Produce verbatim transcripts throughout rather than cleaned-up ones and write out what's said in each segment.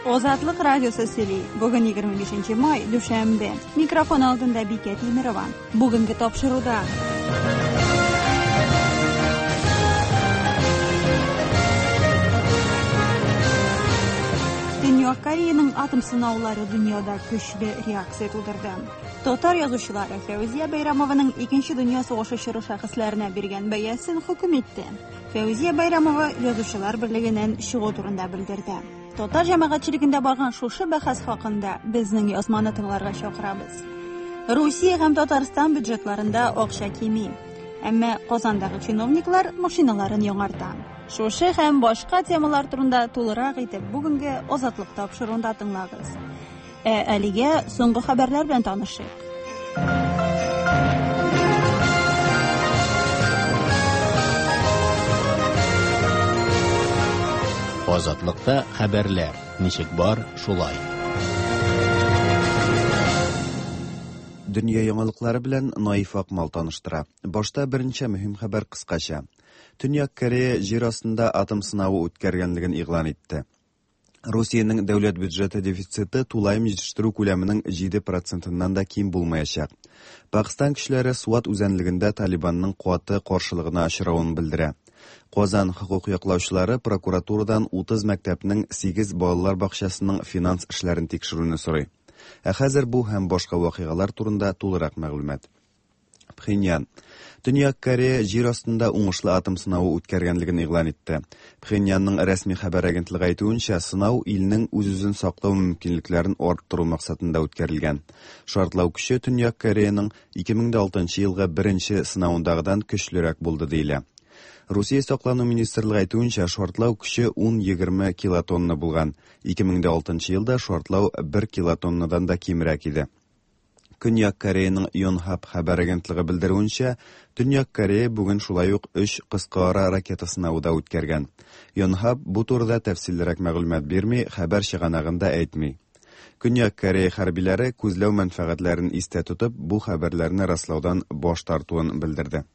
Азатлык радиосы сөйли. Бүген егерме бишенче май, дүшәмбе. Микрофон алдында Бикә Тимирова. Бүгенге тапшыруда. Төньяк Кореяның атом сынаулары дөньяда көчле реакция тудырды. Татар язучылары Фәүзия Бәйрәмованың Икенче дөнья сугышы чоры шәхесләренә биргән бәясен хөкем итте. Фәүзия Бәйрәмова Язучылар берлегеннән чыгу турында белдерде. Татар җәмәгатьчелегендә барган шушы бәхәс хакында безнең язманы тыңларга чакырабыз. Русия һәм Татарстан бюджетларында акча кими. Әмма Казандагы чиновниклар машиналарын яңарта. Шушы һәм башка темалар турында тулырак итеп бүгенге Азатлык тапшыруында тыңлагыз. Ә әлегә соңгы хәбәрләр белән танышыйк. Азатлыкта хәбәрләр ничек бар, шулай. Дөнья яңалыклары белән Наиф Акмал таныштыра. Башта берничә мөһим хәбәр кыскача. Төньяк Корея җир астында атом сынавы үткәргәнлеген игълан итте. Русиянең дәүләт бюджеты дефициты тулаем җитештерү күләменең җиде процентыннан да ким булмаячак. Пакистан көчләре Суат үзәнлегендә Талибанның каты каршылыгына очравын белдерә. Казан хокук яклаучылары прокуратурадан утыз мәктәпнең сигез балалар бакчасының финанс эшләрен тикшерүне сорый. Ә хәзер бу һәм башка вакыйгалар турында тулырак мәгълүмат. Пхеньян. Төньяк Корея җир астында уңышлы атом сынавы үткәргәнлеген игълан итте. Пхеньянның рәсми хәбәр агентлыгы әйтүенчә, сынау илнең үз-үзен саклау мөмкинлекләрен арттыру максатында үткәрелгән. Шартлау көче Төньяк Кореяның ике мең дә алтынчы елгы беренче сынавындагыдан көчлерәк булды диелә. Русия саклану министрлыгы әйтүенчә, шартлау көче ун-егерме килотонна булган. Ике мең дә алтынчы елда шартлау бер килотоннадан да кимрәк иде. Көньяк Кореяның Йонхап хәбәр агентлыгы белдерүенчә, Төньяк Корея бүген шулай ук өч кыска ара ракета сынавы да үткәргән. Йонхап бу турыда тәфсиллерәк мәгълүмат бирми, хәбәр чыганагын да әйтми. Көньяк Корея хәрбиләре күзләү мәнфәгатьләрен истә тотып, бу хәбәрләрне раслаудан баш тартуын белдерде.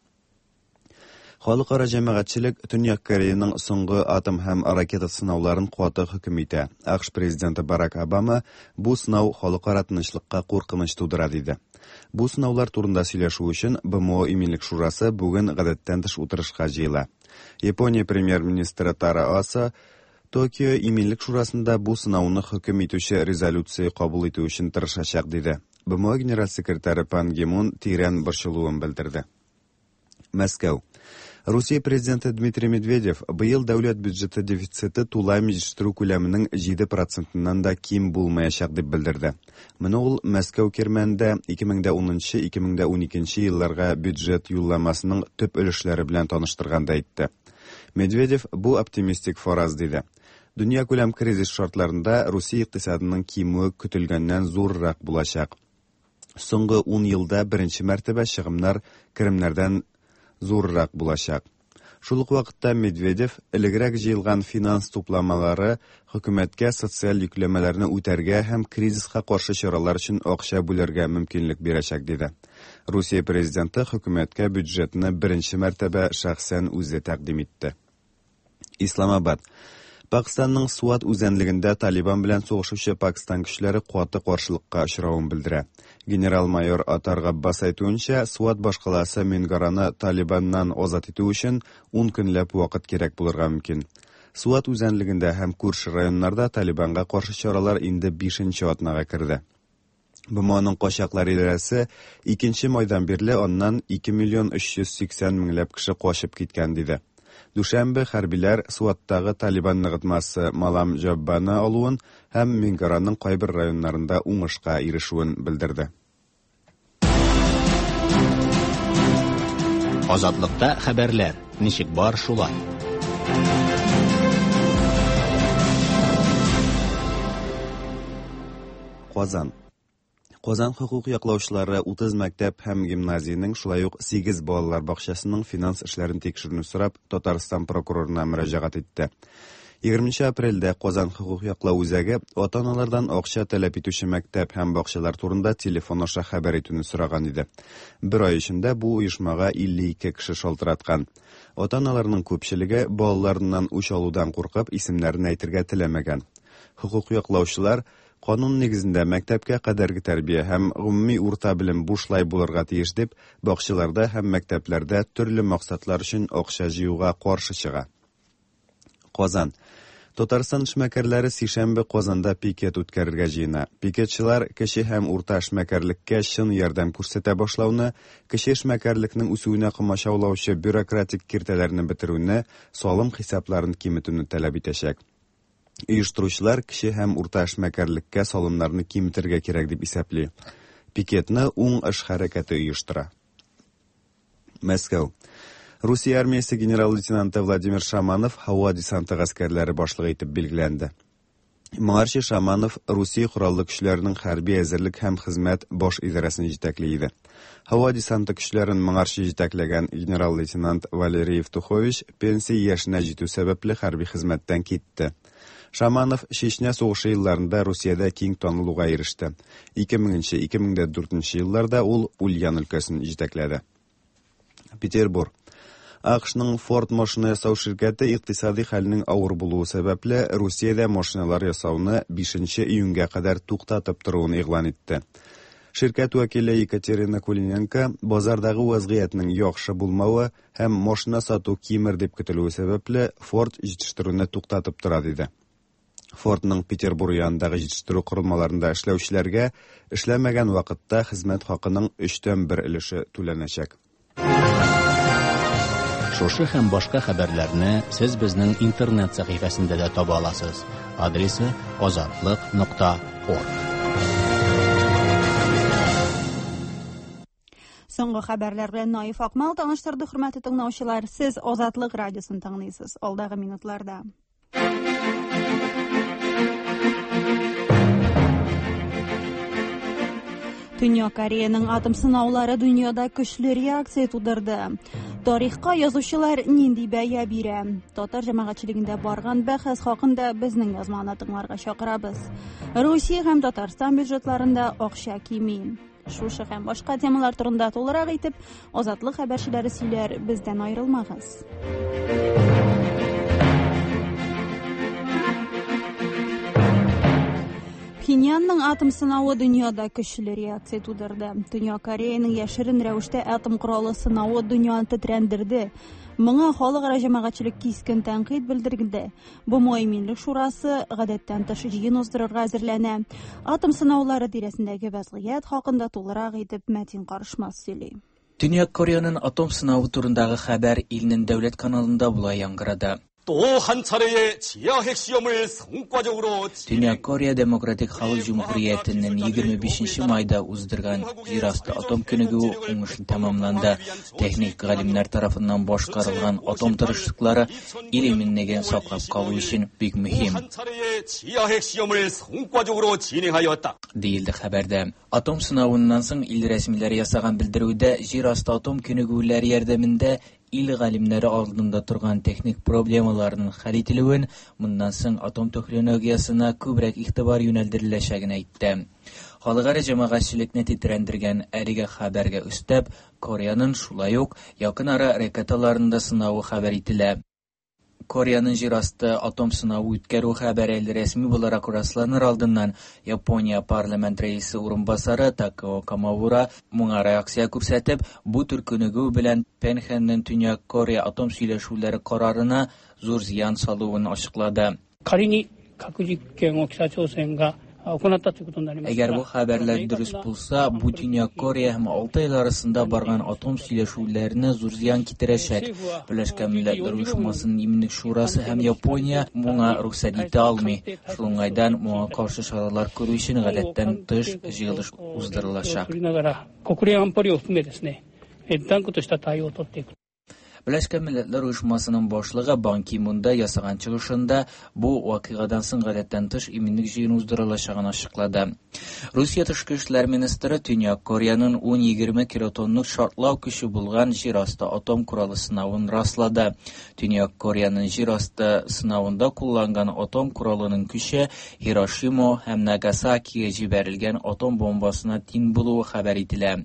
Халыкара җәмәгатьчелек Төньяк Кореяның соңгы атом һәм ракета сынауларын каты хөкем итә. АКШ президенты Барак Обама бу сынау халыкара тынычлыкка куркыныч тудыра диде. Бу сынаулар турында сөйләшү өчен Б М О Иминлек шурасы бүген гадәттән тыш утырышка җыела. Япония премьер-министры Тара Аса Токио Иминлек шурасында бу сынауны хөкем итүче резолюция кабул итү өчен тырышачак диде. Б М О генераль секретаре Пан Ги Мун тирән борчылуын белдерде. Мәскәү. Русия президенты Дмитрий Медведев быел дәүләт бюджеты дефициты тулаем җитештерү күләменең җиде процентыннан да ким булмаячак дип белдерде. Моны ул Мәскәү кирмәнендә ике мең дә унынчы, ике мең дә уникенче елларга бюджет юлламасының төп өлешләре белән таныштырганда әйтте. Медведев бу оптимистик фараз диде. Дөнья күләм кризис шартларында Русия икътисадының кимүе көтелгәннән зуррак булачак. Соңгы ун елда беренче мәртәбә чыгымнар керемнәрдән зуррак булачак. Шул ук вакытта Медведев элегрәк җыелган финанс тупламалары хөкүмәткә социаль йөкләмәләрне үтәргә һәм кризиска каршы чаралар өчен акча бүләргә мөмкинлек бирәчәк диде. Русия президенты хөкүмәткә бюджетны беренче мәртәбә шәхсән үзе тәкъдим итте. Исламабад. Пакистанның Суат үзәнлегендә Талибан белән сугышучы Пакистан көчләре каты каршылыкка очравын белдерә. Генерал-майор Атар Габбас әйтүенчә, Суат башкаласы Мингараны Талибаннан азат итү өчен ун көнләп вакыт кирәк булырга мөмкин. Суат үзәнлегендә һәм күрше районнарда Талибанга каршы чаралар инде бишенче атнага керде. Б М Оның качаклар идарәсе икенче майдан бирле аннан ике миллион өч йөз сиксән меңләп кеше качып киткән диде. Дүшәмбе хәрбиләр Суаттагы Талибан ныгытмасы Малам Җаббаны алуын һәм Мингараның кайбер районнарында уңышка ирешүен белдерде. Азатлыкта хәбәрләр ничек бар шулай. Казан. Казан хокук яклаучылары утыз мәктәп һәм гимназиянең, шулай ук сигез балалар бакчасының финанс эшләрен тикшерүне сорап Татарстан прокурорына мөрәҗәгать итте. Егерменче апрельдә Казан хокук яклау үзәге ата-аналардан акча таләп итүче мәктәп һәм бакчалар турында телефон аша хәбәр итүне сораган иде. Бер ай эчендә бу оешмага илле ике кеше шалтыраткан. Ата-аналарның күпчелеге балаларыннан үч алудан куркып исемнәрен әйтергә теләмәгән. Хокук яклаучылар канун нигезендә мәктәпкә кадәрге тәрбия һәм гомуми урта белем бушлай булырга тиеш дип, бакчаларда һәм мәктәпләрдә төрле максатлар өчен акча җыюга каршы чыга. Казан. Татарстан эшмәкәрләре сишәмбе Казанда пикет үткәрергә җыена. Пикетчылар кече һәм урта эшмәкәрлеккә чын ярдәм күрсәтә башлауны, кече эшмәкәрлекнең үсүенә комачаулаучы бюрократик киртәләрне бетерүне, салым хисапларын киметүне таләп итәчәк. Оештыручылар кече һәм урта эшмәкәрлеккә салымнарны киметергә кирәк дип исәпли. Пикетны уң эш хәрәкәте оештыра. Мәскәү. Русия армиясе генерал-лейтенанты Владимир Шаманов һава десанты гаскәрләре башлыгы итеп билгеләнде. Моңарчы Шаманов Русия кораллы көчләренең хәрби әзерлек һәм хезмәт баш идарәсен җитәкли иде. Һава десанты көчләрен моңарчы җитәкләгән генерал-лейтенант Валерий Евтухович пенсия яшенә җитү сәбәпле хәрби хезмәттән китте. Шаманов Чечня сугышы елларында Русиядә киң танылуга иреште. ике меңенче ике мең дә дүртенче елларда ул Ульян өлкәсен җитәкләде. Петербург. АКШның Ford машина ясау ширкәте икътисади хәлнең авыр булуы сәбәпле Русиядә машиналар ясауны бишенче июньгә кадәр туктатып торуын игълан итте. Ширкәт вәкиле Екатерина Кулиненко базардагы вазгыятьнең яхшы булмавы һәм машина сату кимер дип көтелүе сәбәпле Ford җитештерүне туктатып тора диде. Фордның Петербург янындагы җитештерү корылмаларында эшләүчеләргә эшләмәгән вакытта хезмәт хакының өчтән бер өлеше түләнәчәк. Шушы һәм башка хәбәрләрне сез безнең интернет сәхифәсендә дә таба аласыз. Адресы азатлык нокта орг. Соңгы хәбәрләр белән Наиф Акмал таныштырды. Хөрмәтле тыңлаучылар, сез Азатлык радиосын тыңлыйсыз. Алдагы минутларда Төньяк Кореяның атом сынаулары дөньяда көчле реакция тудырды. Тарихка язучылар нинди бәя бирә? Татар җәмәгатьчелегендә барган бәхәс хакында безнең язманы тыңларга чакырабыз. Русия һәм Татарстан бюджетларында акча кими. Шушы һәм башка темалар турында тулырак итеп Азатлык хәбәрчеләре сөйләр, бездән аерылмагыз. Пхеньянның атом сынавы дөньяда көчле реакция тудырды. Төньяк Кореяның яшерен рәвештә атом коралы сынавы дөньяны тетрәндерде. Моңа халыкара җәмәгатьчелек кискен тәнкыйть белдерде. БМО Иминлек шурасы гадәттән тыш җыен уздырырга әзерләнә. Атом сынаулары тирәсендәге вазгыять хакында тулырак итеп Мәтин Карышмас сөйли. Төньяк Кореяның атом сынавы турындагы хәбәр илнең дәүләт каналында булай яңгырады. Төньяк Корея Демократик Халык Җөмһүриятенең егерме бишенче майда уздырган җир асты атом күнегүе уңышлы тәмамланды. Техник галимнәр тарафыннан башкарылган атом тырышлыклары ил иминлеген саклап калу өчен бик мөһим, диелде хәбәрдә. Атом сынавыннан соң ил рәсмиләре ясаган белдерүдә җир асты атом күнегүләре ярдәмендә ил галимнәре алдында торган техник проблемаларның хәл ителүен, моннан соң атом технологиясенә күбрәк игътибар юнәлдереләчәген әйтте. Халыкара җәмәгатьчелекне тетрәндергән әлеге хәбәргә өстәп, Кореяның шулай ук якын ара ракеталарында сынавы хәбәр ителә. Кореяның җир асты атом сынавы үткәрү хәбәре әле рәсми буларак расланыр алдыннан Япония парламент рәисе урынбасары Такео Камаура моңа реакция күрсәтеп, бу төр күнегү белән Пхеньянның Төньяк Корея атом сөйләшүләре карарына зур зыян салуын ачыклады. Әгәр бу хәбәрләр дөрес булса, бу Төньяк Корея һәм алты ил арасында барган атом сөйләшүләренә зур зыян китерәчәк. Берләшкән Милләтләр Оешмасының Иминлек шурасы һәм Япония моңа рөхсәт итә алмый. Шул уңайдан моңа каршы чаралар күрү өчен гадәттән тыш җыелыш уздырылачак. Берләшкән Милләтләр Оешмасының башлыгы Бан Ки Мунда ясаган чыгышында бу вакыйгадан соң гадәттән тыш иминлек җыены уздырылачагын ачыклады. Русия тышкы эшләр министры Төньяк Кореяның ун егерме килотонлык шартлау көче булган җир асты атом коралы сынавын раслады. Төньяк Кореяның җир асты сынавында кулланган атом коралының көче Хирошима һәм Нагасакига җибәрелгән атом бомбасына тиң булуы хәбәр ителә.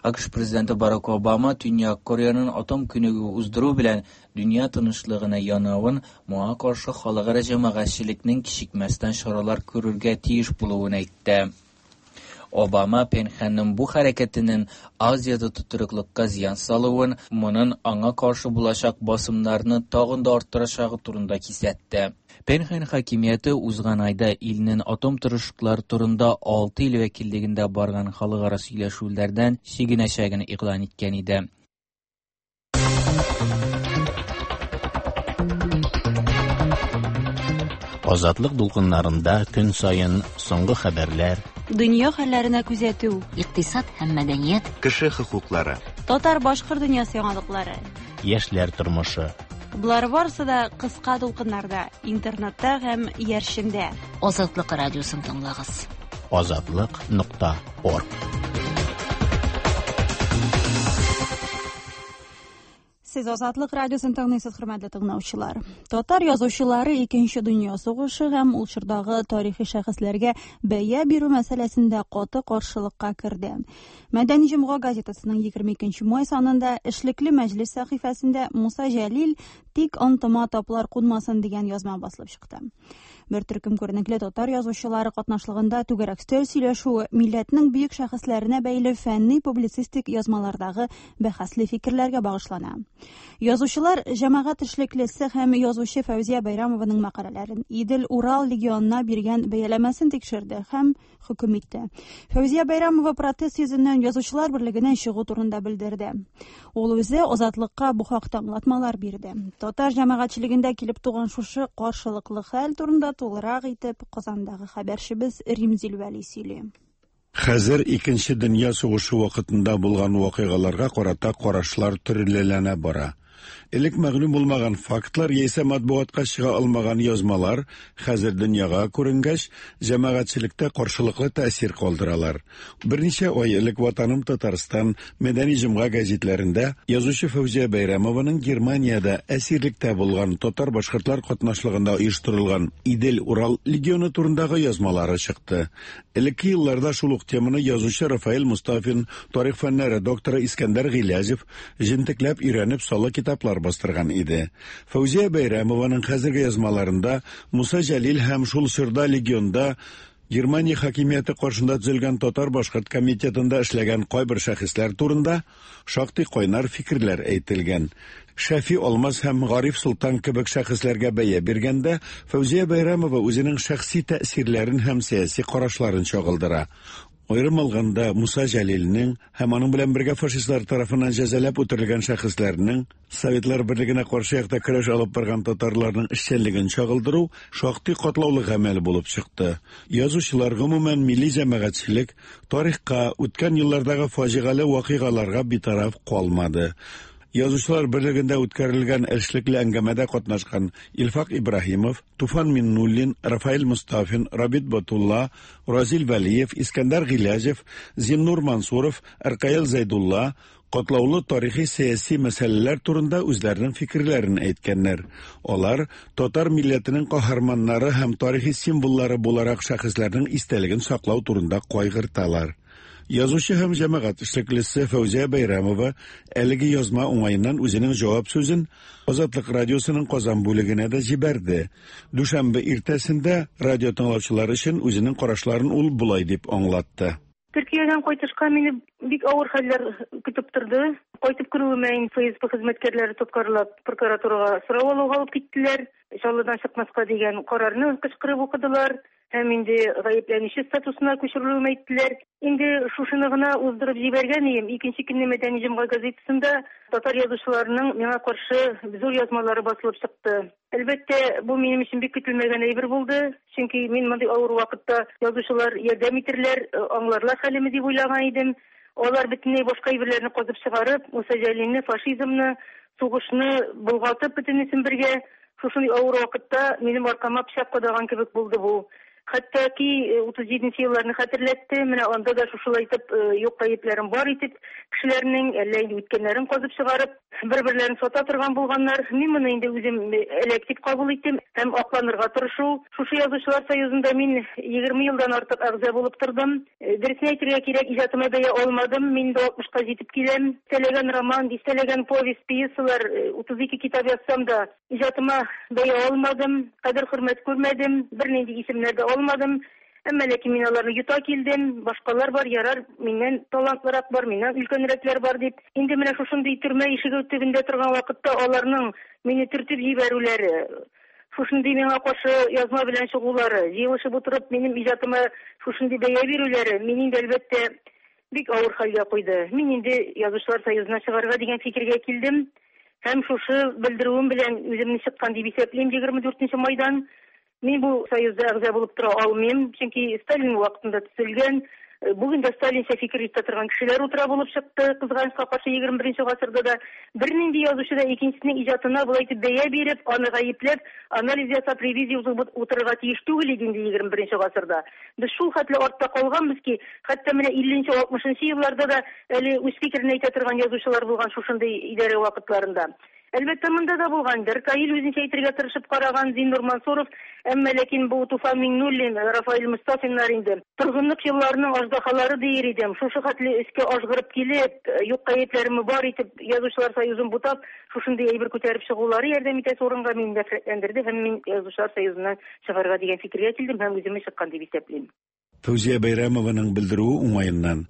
АКШ президенты Барак Обама Төньяк Кореяның атом күнегүе уздыру белән дөнья тынычлыгына янавын, моңа каршы халыкара җәмәгатьчелекнең кичекмәстән чаралар күрергә тиеш булуын әйтте. Обама Пхеньянның бу хәрәкәтенең Азиядә тотрыклылыкка зыян салуын, моның аңа каршы булачак басымнарны тагын да арттырачагы турында кисәтте. Пхеньян хакимияте узган айда илнең атом тырышлыклары турында алты ил вәкиллегендә барган халыкара сөйләшүләрдән чигенәчәген игълан иткән иде. Азатлык дулкыннарында көн саен соңгы хәбәрләр, дөнья хәлләренә күзәтү, икътисад һәм мәдәният, кеше хокуклары, татар-башкорт дөньясы яңалыклары, яшьләр тормышы. Болар барысы да кыска дулкыннарда, интернетта һәм иярчендә. Азатлык радиосын тыңлагыз. Азатлык нокта орг. Сез Азатлык радиосын тыңлыйсыз, хөрмәтле тыңлаучылар. Татар язучылары Икенче дөнья сугышы һәм ул чордагы тарихи шәхесләргә бәя бирү мәсьәләсендә каты каршылыкка керде. Мәдәни җомга газетасының егерме икенче май санында эшлекле мәҗлес сәхифәсендә Муса Җәлил тик антыма таплар кунмасын дигән язма басылып чыкты. Бер төркем күренекле татар язучылары катнашлыгында түгәрәк өстәл сөйләшүе милләтнең бөек шәхесләренә бәйле фәнни публицистик язмалардагы бәхәсле фикерләргә багышлана. Язучылар җәмәгать эшлеклесе һәм язучы Фәүзия Бәйрәмованың мәкаләләрен Идел-Урал легионына биргән бәяләмәсен тикшерде һәм хөкем итте. Фәүзия Бәйрәмова протест йөзеннән Язучылар берлегеннән чыгу турында белдерде. Ул үзе Азатлыкка бу хакта аңлатмалар бирде. Татар җәмәгатьчелегендә килеп туган шушы каршылыклы хәл турында тулырак итеп Казандагы хәбәрчебез Римзил Вәли сөйли. Хәзер Икенче дөнья сугышы вакытында булган вакыйгаларга карата карашлар төрлеләнә бара. Элек мәгълүм булмаган фактлар яисә матбугатка чыга алмаган язмалар хәзер дөньяга күренгәч, җәмәгатьчелектә каршылыклы тәэсир калдыралар. Берничә ай элек Ватаным Татарстан, Мәдәни җомга гәзитләрендә язучы Фәүзия Бәйрәмованың Германиядә әсирлектә булган татар-башкортлар катнашлыгында оештырылган Идел-Урал легионы турындагы язмалары чыкты. Элекке елларда шул ук теманы язучы Рафаэль Мустафин, тарих фәннәре докторы Искәндәр Гыйләҗев җентекләп өйрәнеп салы китаплар бастырган иде. Фәүзия Бәйрәмованың хәзерге язмаларында Муса Җәлил һәм шул чорда легионда Германия хакимияте каршында төзелгән татар-башкорт комитетында эшләгән кайбер шәхесләр турында шактый кайнар фикерләр әйтелгән. Шәфи Алмаз һәм Гариф Солтан кебек шәхесләргә бәя биргәндә Фәүзия Бәйрәмова үзенең шәхси тәэсирләрен һәм сәяси карашларын чагылдыра. Аерым алганда Муса Җәлилнең һәм аның белән бергә фашистлар тарафыннан җәзаләп үтерелгән шәхесләрнең Советлар Берлегенә каршы якта көрәш алып барган татарларның эшчәнлеген чагылдыру шактый катлаулы гамәл булып чыкты. Язучылар, гомумән милли җәмәгатьчелек тарихка, үткән еллардагы фаҗигале вакыйгаларга битараф калмады. Язучылар берлегендә үткәрелгән эшлекле әңгәмәдә катнашкан Илфак Ибраһимов, Туфан Миннуллин, Рафаэль Мустафин, Рабит Батулла, Разил Вәлиев, Искәндәр Гыйләҗев, Зиннур Мансуров, Аркаил Зәйдулла катлаулы тарихи сәяси мәсьәләләр турында үзләренең фикерләрен әйткәннәр. Алар татар милләтенең каһарманнары һәм тарихи символлары буларак шәхесләрнең истәлеген саклау турында кайгырталар. Язучы һәм җәмәгать эшлеклесе Фәүзия Бәйрәмова әлеге язма уңаеннан үзенең җавап сүзен Азатлык радиосының Казан бүлегенә дә җибәрде. Дүшәмбе иртәсендә радио тыңлаучылар өчен үзенең карашларын ул болай дип аңлатты. Төркиядән кайтышка мине бик авыр хәлләр көтеп торды. Кайтып керүемә Эф Эс Бэ хезмәткәрләре тоткарлап прокуратурага сорау алуга алып киттеләр. Чаллыдан чыкмаска дигән карарны кычкырып укыдылар. Һәм инде гаепләнүче статусына күчерелүемә әйттеләр. Инде шушыны гына уздырып җибәргән идем. Икенче көнне Мәдәни җомга газетасында татар язучыларының миңа каршы зур язмалары басылып чыкты. Әлбәттә, бу минем өчен бик көтелмәгән әйбер булды. Чөнки мин мондый авыр вакытта язучылар ярдәм итерләр, аңларлар хәлемне дип уйлаган идем. Алар бөтенләй башка әйберләрне казып чыгарып, Муса Җәлилне, фашизмны, сугышны болгатып бөтенесен бергә шушындый авыр вакытта минем аркама пычак кадаган кебек булды бу. Хәтта ки утыз җиденче елларны хәтерләтте. Менә анда да шушылай итеп юк гаепләрен бар итеп, кешеләрнең әллә инде үткәннәрен казып чыгарып, бер-берләрен сата торган булганнар. Мин моны инде үзем эләк дип кабул иттем һәм акланырга тырышу. Шушы Язучылар союзында мин егерме елдан артык әгъза булып тордым. Дөресен әйтергә кирәк, иҗатыма бәя алмадым. Мин дә алтмышка җитеп киләм. Дистәләгән роман, дистәләгән повесть, пьесалар, утыз ике китап язсам да иҗатыма бәя алмадым, кадер-хөрмәт күрмәдем, бернинди исемнәр дә алмадым. Әмма ләкин мин аларны йота килдем. Башкалар бар, ярар, миннән талантлырак бар, миннән өлкәнрәкләр бар дип. Инде менә шушындый төрмә ишеге төбендә торган вакытта аларның мине төртеп җибәрүләре, шушындый миңа каршы язма белән чыгулары, җыелышып утырып минем иҗатыма шушындый бәя бирүләре мине инде әлбәттә бик авыр хәлгә куйды. Мин инде Язучылар союзына чыгарга дигән фикергә килдем. Һәм шушы белдерүем белән үземне чыккан дип исәплим егерме дүртенче майдан. Мин бу союзда әгъза булып тора алмыйм, чөнки Сталин вакытында төзелгән, бүген дә Сталинча фикер йөртә торган кешеләр утыра булып чыкты. Кызганычка каршы егерме беренче гасырда да бернинди язучы да икенчесенең иҗатына болай итеп бәя биреп, аны гаепләп, анализ ясап, ревизия узып утырырга тиеш түгел иде инде егерме беренче гасырда. Без шул хәтле артта калганбыз ки, хәтта менә илленче, алтмышынчы елларда да әле үз фикерен әйтә торган язучылар булган шушындый идарә вакытларында. Әлбәттә, монда да булгандыр. Каил үзенчә әйтергә тырышып караган Зиннур Мансуров, әмма ләкин бу Туфан Миңнуллин, Рафаэль Мустафиннар инде торгынлык елларының аждаһалары дияр идем. Шушы хәтле өскә ажгырып килеп, юк гаепләрен бар итеп, Язучылар союзын бутап, шушындый әйбер күтәреп чыгулары ярдәм итәсе урынга мине нәфрәтләндерде һәм мин Язучылар союзыннан чыгарга дигән фикергә килдем һәм үземне чыккан дип исәплим. Фәүзия Бәйрәмованың белдерүе уңаеннан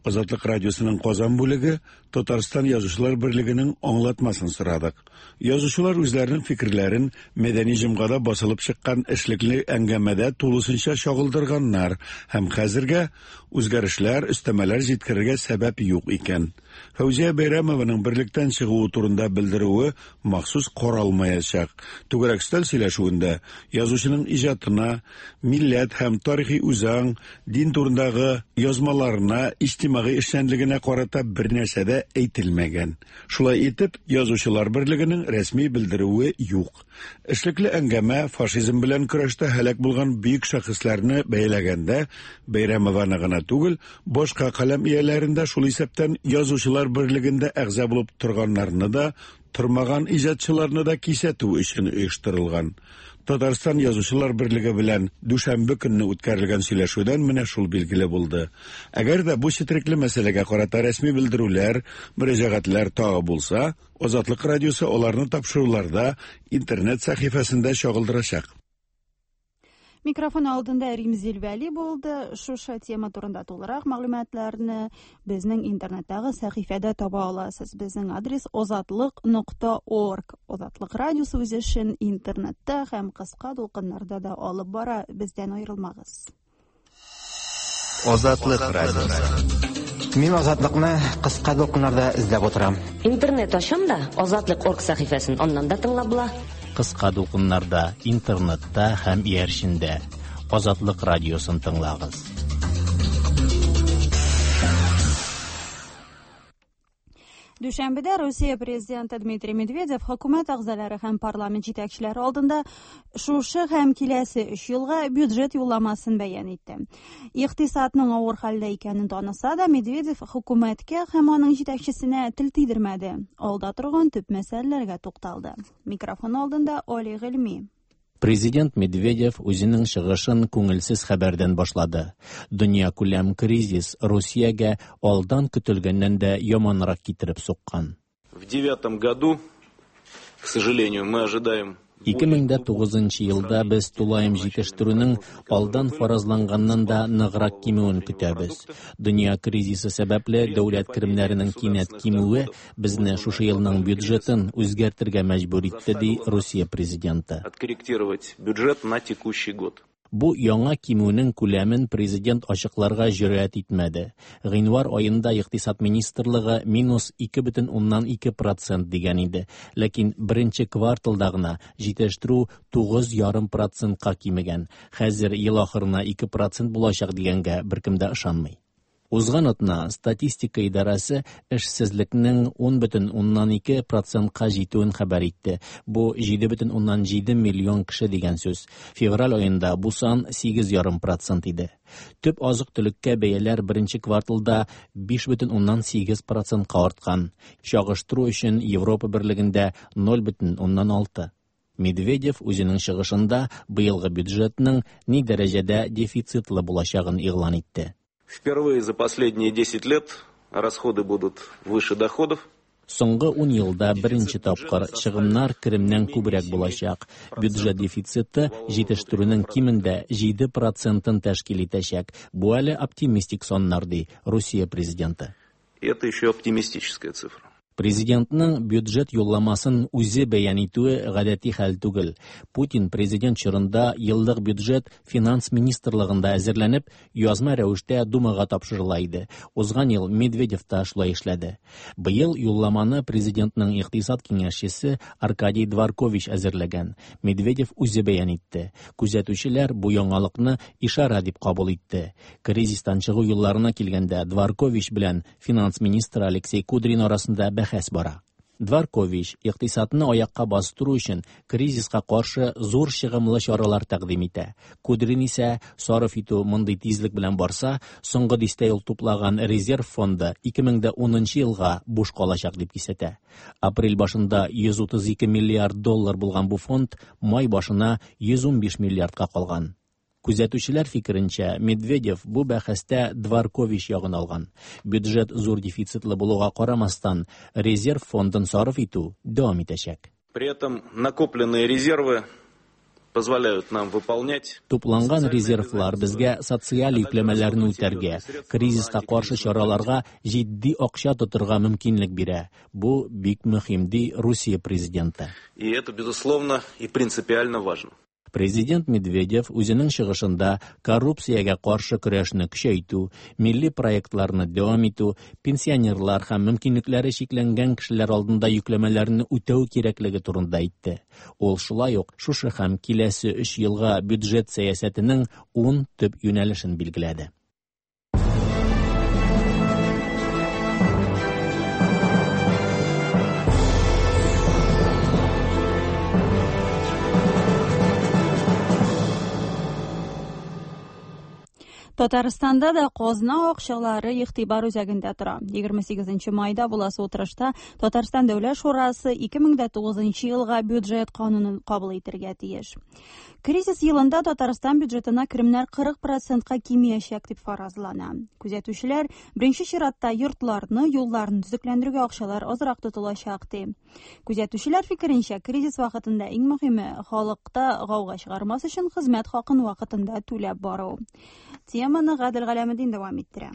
Азатлык радиосының Казан бүлеге Татарстан Язучылар берлегенең аңлатмасын сорадык. Язучылар үзләренең фикерләрен мәдәни җомгада басылып чыккан эшлекле әңгәмәдә тулысынча чагылдырганнар һәм хәзергә үзгәрешләр, өстәмәләр җиткерергә сәбәп юк икән. Фәүзия Бәйрәмованың берлектән чыгуы турында белдерүе махсус каралмаячак. Түгәрәк өстәл сөйләшүендә язучының иҗатына, милләт һәм тарихи үзаң, дин турындагы язмаларына, иҗтимагый эшчәнлегенә карата бер нәрсә дә әйтелмәгән. Шулай итеп, Язучылар берлегенең рәсми белдерүе юк. Эшлекле әңгәмә фашизм белән көрәштә һәлак булган бөек шәхесләрне бәяләгәндә Бәйрәмованы гына түгел, башка каләм ияләрен дә, шул исәптән Язучылар берлегендә әгъза булып торганнарны да, тормаган иҗатчыларны да кисәтү өчен оештырылган. Татарстан Язучылар берлеге белән дүшәмбе көнне үткәрелгән сөйләшүдән менә шул билгеле булды. Әгәр дә бу четерекле мәсьәләгә карата рәсми белдерүләр, мөрәҗәгатьләр тагы булса, Азатлык радиосы аларны тапшыруларда интернет сәхифәсендә чагылдырачак. Микрофон алдында Римзил Вәли булды. Шушы тема турында тулырак мәгълүматларны безнең интернеттагы сәхифәдә таба аласыз. Безнең адрес озатлык нокта орг. Азатлык радиосы үз эшен интернетта һәм кыска дулкыннарда да алып бара. Бездән аерылмагыз. Азатлык радиосы. Мин Азатлыкны кыска дулкыннарда эзләп утырам. Интернет ачам да Азатлык орг сәхифәсен аннан да тыңлап була. Кыска дулкыннарда, интернетта һәм иярчендә Азатлык радиосын тыңлагыз. Дүшәмбедә Русия президенты Дмитрий Медведев хөкүмәт әгъзалары һәм парламент җитәкчеләре алдында шушы һәм киләсе өч елга бюджет юлламасын бәян итте. Икътисадның авыр хәлдә икәнен таныса да, Медведев хөкүмәткә һәм аның җитәкчесенә тел тидермәде. Алда торган төп мәсьәләләргә тукталды. Микрофон алдында Оли Гыйльми. Президент Медведев үзенең чыгышын күңелсез хәбәрдән башлады. Дөньякүләм кризис Русиягә алдан көтелгәннән дә яманрак китереп суккан. В девятом году, к сожалению, мы ожидаем ике мең дә тугызынчы елда без тулаем җитештерүнең алдан фаразланганнан да ныграк кимүен көтәбез. Дөнья кризисы сәбәпле дәүләт керемнәренең кинәт кимүе безне шушы елның бюджетын үзгәртергә мәҗбүр итте, ди Русия президенты. Откорректировать бюджет на текущий год. Бу яңа кимүнең күләмен президент ачыкларга җөрьәт итмәде. Гыйнвар аенда Икътисад министрлыгы минус ике бөтен уннан ике процент дигән иде. Ләкин беренче кварталда гына җитештерү тугыз ярым процентка кимегән. Хәзер ел ахырына ике процент булачак дигәнгә беркем дә ышанмый. Узган атна статистика идарәсе эшсезлекнең ун бөтен уннан ике процентка җитүен хәбәр итте. Бу җиде бөтен уннан җиде миллион кеше дигән сүз. Февраль аенда бу сан сигез ярым процент иде. Төп азык-төлеккә бәяләр беренче кварталда биш бөтен уннан сигез процентка арткан. Чагыштыру өчен Европа берлегендә ноль бөтен уннан алты. Медведев үзенең чыгышында быелгы бюджетның ни дәрәҗәдә дефицитлы булачагын игълан итте. Впервые за последние десять лет расходы будут выше доходов. Соңгы ун елда беренче тапкыр чыгымнар керемнән күбрәк булачак. Бюджет дефициты җитештерүнең кимендә җиде процентын тәшкил итәчәк. Бу әле оптимистик саннар, ди Русия президенты. Это еще оптимистическая цифра. Президентның бюджет юлламасын үзе бәян итүе гадәти хәл түгел. Путин президент чорында еллык бюджет финанс министрлыгында әзерләнеп, язма рәвештә Думага тапшырыла иде. Узган ел Медведев та шулай эшләде. Быел юлламаны президентның икътисад киңәшчесе Аркадий Дворкович әзерләгән. Медведев үзе бәян итте. Күзәтүчеләр бу яңалыкны ишара дип кабул итте. Кризистан чыгу юлларына килгәндә Дворкович белән финанс министры Алексей Кудрин арасында бәхәс бара. Дворкович икътисадны аякка бастыру өчен кризиска каршы зур чыгымлы чаралар тәкъдим итә. Кудрин исә сарыф итү мондый тизлек белән барса, соңгы дистә ел туплаган резерв фонды ике мең дә унынчы елга буш калачак дип кисәтә. Апрель башында йөз утыз ике миллиард доллар булган бу фонд май башына йөз унбиш миллиардка калган. Күзәтүчеләр фикеренчә, Медведев бу бәхәстә Дворкович ягын алган. Бюджет зур дефицитлы булуга карамастан, резерв фондын сарыф итү дәвам итәчәк. При этом накопленные резервы позволяют нам выполнять Тупланган резервлар безгә социаль йөкләмәләрне үтәргә, кризиска каршы чараларга җитди акча тотырга мөмкинлек бирә. Бу бик мөһим, ди Русия президенты. И это, безусловно, и принципиально важно. Президент Медведев үзенең чыгышында коррупциягә каршы көрәшне көчәйтү, милли проектларны дәвам итү, пенсионерлар һәм мөмкинлекләре чикләнгән кешеләр алдында йөкләмәләрне үтәү кирәклеге турында әйтте. Ул шулай ук шушы һәм киләсе өч елга бюджет сәясәтенең ун төп юнәлешен билгеләде. Татарстанда да казна акчалары игътибар үзәгендә тора. егерме сигезенче майда буласы утырышта Татарстан Дәүләт Шурасы ике мең дә тугызынчы елга бюджет канунын кабул итәргә тиеш. Кризис елында Татарстан бюджетына керемнәр кырык процентка кимиячәк дип фаразлана. Күзәтүчеләр беренче чиратта йортларны, юлларны төзекләндерүгә акчалар азрак тотылачак ди. Күзәтүчеләр фикеренчә, кризис вакытында иң мөһиме халыкта гауга чыгармас өчен хезмәт хакын вакытында түләп бару. Теманы Гадел Галәметдин дәвам иттерә.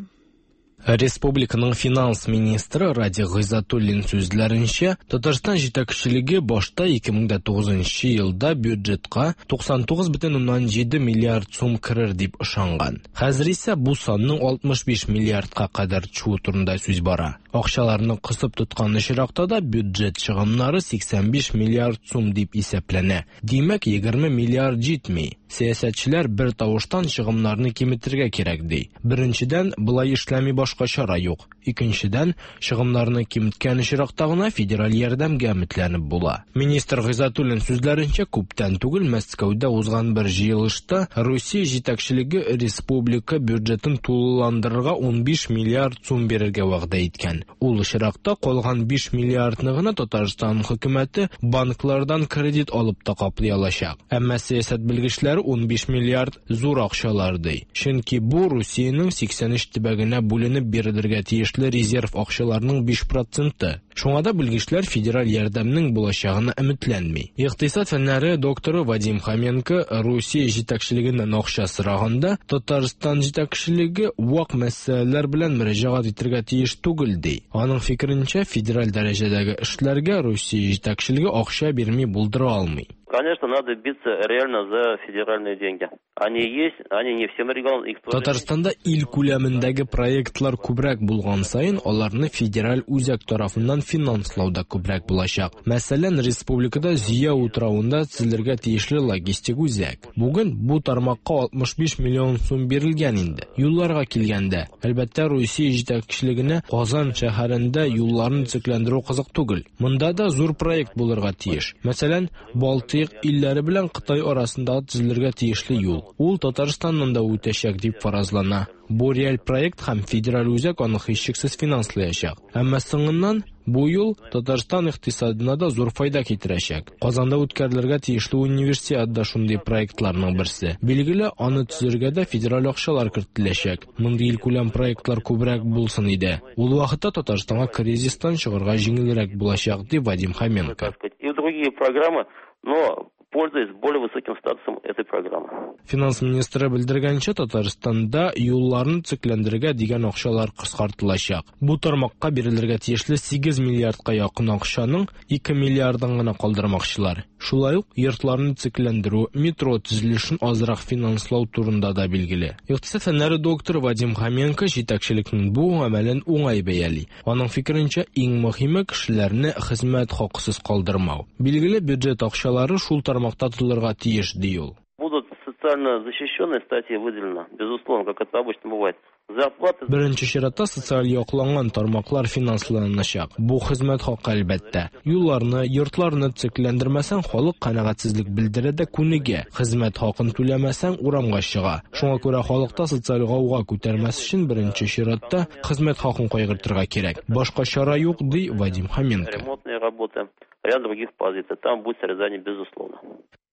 Республиканың финанс министры Радик Гыйззатуллин сүзләренчә, Татарстан җитәкчелеге башта ике мең дә тугызынчы елда бюджетка туксан тугыз бөтен уннан җиде миллиард сум керер дип ышанган. Хәзер исә бу санның алтмыш биш миллиардка кадәр төшүе турында сүз бара. Акчаларны кысып тоткан очракта да бюджет чыгымнары сиксән биш миллиард сум дип исәпләнә. Димәк, егерме миллиард җитми. Сәясәтчеләр бер тавыштан чыгымнарны киметергә кирәк ди. Беренчедән, болай эшләми башка чара юк. Икенчедән, чыгымнарны киметкән очракта гына федераль ярдәмгә өметләнеп була. Министр Гыйззатуллин сүзләренчә, күптән түгел Мәскәүдә узган бер җыелышта Русия җитәкчелеге республика бюджетын тулыландырырга унбиш миллиард сум бирергә вәгъдә иткән. Ул очракта калган биш миллиардны гына Татарстан хөкүмәте банклардан кредит алып та каплый алачак. Әмма сәясәт белгечләре унбиш миллиард зур акчалар ди. Чөнки бу Русиянең сиксән өч төбәгенә бүленеп бирелергә тиешле резерв акчаларының биш проценты. Шуңа да белгечләр федераль ярдәмнең булачагына өметләнми. Икътисад фәннәре докторы Вадим Хоменко Русия җитәкчелегеннән акча сораганда Татарстан җитәкчелеге вак мәсьәләләр белән мөрәҗәгать итәргә тиеш түгел ди. Аның фикеренчә, федераль дәрәҗәдәге эшләргә Русия җитәкчелеге акча бирми булдыра алмый. Конечно, надо биться реально за федеральные деньги. Они есть, они не всем регионам. Их тоже. Татарстанда ил күләмендәге проектлар күбрәк булган саен, аларны федераль үзәк тарафыннан финанслау да күбрәк булачак. Мәсәлән, республикада Зөя утравында төзелергә тиешле логистик үзәк. Бүген бу тармакка алтмыш биш миллион сум бирелгән инде. Юлларга килгәндә, әлбәттә, Русия җитәкчелегенә Казан шәһәрендә юлларны төзекләндерү кызык түгел. Монда да зур проект булырга тиеш. Мәсәлән, Балтыйк илләре белән Кытай арасында төзелергә тиешле юл. Ул Татарстаннан да үтәчәк дип фаразлана. Бу реаль проект һәм федераль үзәк аны һичшиксез финанслаячак. Әмма соңыннан бу юл Татарстан икътисадына да зур файда китерәчәк. Казанда үткәрелергә тиешле универсиада да шундый проектларның берсе. Билгеле, аны төзергә дә федераль акчалар кертеләчәк. Мондый илкүләм проектлар күбрәк булсын иде. Ул вакытта Татарстанга кризистан чыгарга җиңелрәк булачак, ди Вадим Хоменко. И другие программы, но пользуясь более высоким статусом этой программы. Финанс министры белдергәнчә, Татарстанда юлларны төзекләндерергә дигән акчалар кыскартылачак. Бу тармакка бирелергә тиешле сигез миллиардка якын акчаның ике миллиардын гына калдырмакчылар. Шулай ук йортларны төзекләндерү, метро төзелешен азрак финанслау турында да билгеле. Икътисад фәннәре докторы Вадим Хоменко җитәкчелекнең бу гамәлен уңай бәяли. Аның фикеренчә, иң мөһиме кешеләрне хезмәт хакысыз калдырмау. Билгеле, бюджет акчалары шул тармакта тотылырга тиеш, ди ул. Будут социально защищенные статьи выделены, безусловно, как это обычно бывает. Зарплаты... Беренче чиратта социаль якланган тармаклар финансланачак. Бу хезмәт хакы әлбәттә. Юлларны, йортларны төзекләндермәсәң, халык канәгатьсезлек белдерә дә күнегә. Хезмәт хакын түләмәсәң, урамга чыга. Шуңа күрә халыкта социаль гауга күтәрмәс өчен беренче чиратта хезмәт хакын кайгыртырга кирәк. Башка чара юк, ди Вадим Хоменко. Ремонтные работы, ряд других позиций. Там будет срезание, безусловно.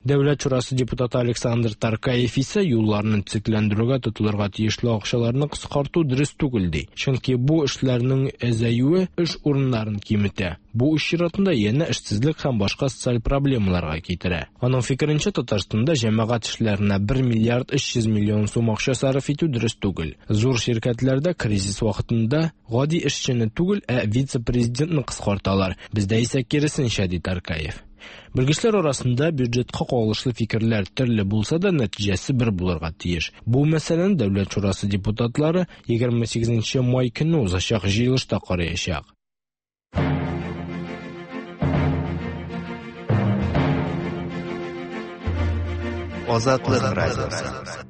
Дәүләт шурасы депутаты Александр Таркаев исә юлларны төзекләндерүгә тотылырга тиешле акчаларны кыскарту дөрес түгел ди. Чөнки бу эшләрнең әзәюе эш урыннарын киметә. Бу эш чиратында янә эшсезлек һәм башка социаль проблемаларга китерә. Аның фикеренчә, Татарстанда җәмәгать эшләренә бер миллиард өч йөз миллион сум акча сарыф итү дөрес түгел. Зур ширкәтләрдә кризис вакытында гади эшчене түгел, ә вице-президентны кыскарталар. Бездә исә киресенчә, ди Таркаев. Белгечләр арасында бюджетка кагылышлы фикерләр төрле булса да, нәтиҗәсе бер булырга тиеш. Бу мәсьәләне Дәүләт шурасы депутатлары егерме сигезенче май көнне узачак җыелышта караячак. Азатлык радиосы.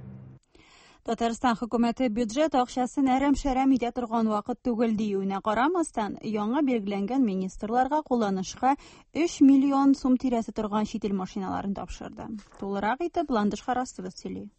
Татарстан хөкүмәте бюджет акчасын әрәм-шәрәм итә торган вакыт түгел диюенә карамастан, яңа билгеләнгән министрларга кулланышка өч миллион сум тирәсе торган чит ил машиналарын тапшырды. Тулырак итеп Ландыш Харасова сөйли.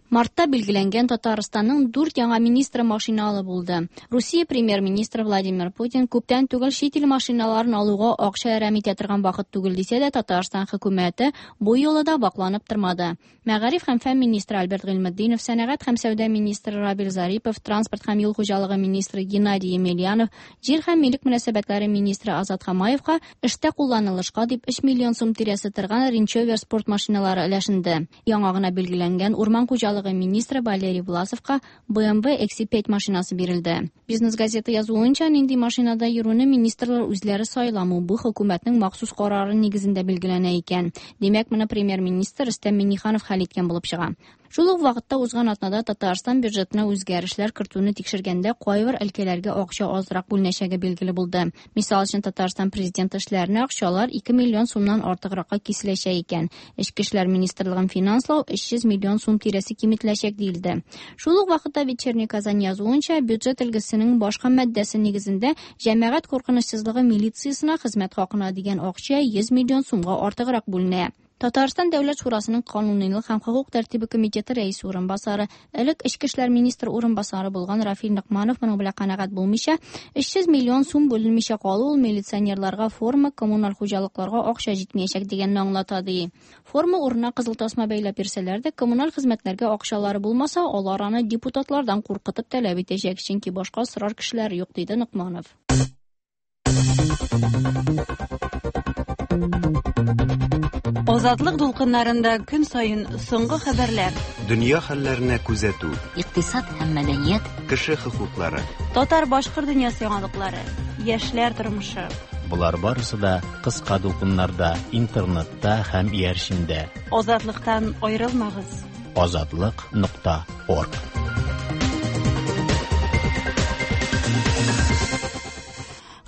Мартта билгеләнгән Татарстанның дүрт яңа министры машиналы булды. Русия премьер-министры Владимир Путин күптән түгел чит ил машиналарын алуга акча әрәм итә торган вакыт түгел дисә дә, Татарстан хөкүмәте бу юлы да вакланып тормады. Мәгариф һәм фән министры Альберт Гыйльметдинов, сәнәгать һәм сәүдә министры Равил Зарипов, транспорт һәм юл хуҗалыгы министры Геннадий Емельянов, җир һәм милек мөнәсәбәтләре министры Азат Хамаевка эштә кулланылышка дип өч миллион сум тирәсе торган Range Rover спорт машиналары өләшенде. Яңа гына билгеләнгән урман хуҗалыгы министры Валерий Власовка бэ эм вэ икс пять машинасы бирелде. Бизнес газеты язуынча, нинди машинада йөрүне министрлар үзләре сайламы, бу хөкүмәтнең махсус карары нигезендә билгеләнә икән. Димәк, моны премьер-министр Рөстәм Миңнеханов хәл иткән булып чыга. Шул ук вакытта узган атнада Татарстан бюджетына үзгәрешләр кертүне тикшергәндә кайбер өлкәләргә акча азрак бүленәчәге билгеле булды. Мисал өчен, Татарстан президенты эшләренә акчалар ике миллион сумнан артыгракка киселәчәк икән. Эчке эшләр министрлыгын финанслау өч йөз миллион сум тирәсе киметеләчәк диелде. Шул ук вакытта Вечерний Казань язуынча, бюджет өлгесенең башка маддәсе нигезендә җәмәгать куркынычсызлыгы милициясенә хезмәт хакына дигән акча йөз миллион сумга артыграк бүленә. Татарстан Дәүләт Шурасының канунилык һәм хокук тәртибе комитеты рәисе урынбасары, элек эчке эшләр министры урынбасары булган Рафил Ныкманов моның белән канәгать булмыйча, өч йөз миллион сум бүленмичә калу ул милиционерларга форма, коммуналь хуҗалыкларга акча җитмәячәк дигәнне аңлата ди. Форма урынына кызыл тасма бәйләп бирсәләр дә, коммуналь хезмәтләргә акчалары булмаса, алар аны депутатлардан куркытып таләп итәчәк, чөнки башка сорар кешеләр юк, диде Ныкманов. Азатлык дулкыннарында көн саен соңгы хәбәрләр, дөнья хәлләренә күзәтү, икътисад һәм мәдәният, кеше хокуклары, татар-башкорт дөньясы яңалыклары, яшьләр тормышы. Болар барысы да кыска дулкыннарда, интернетта һәм иярчендә. Азатлыктан аерылмагыз. Азатлык нокта орг.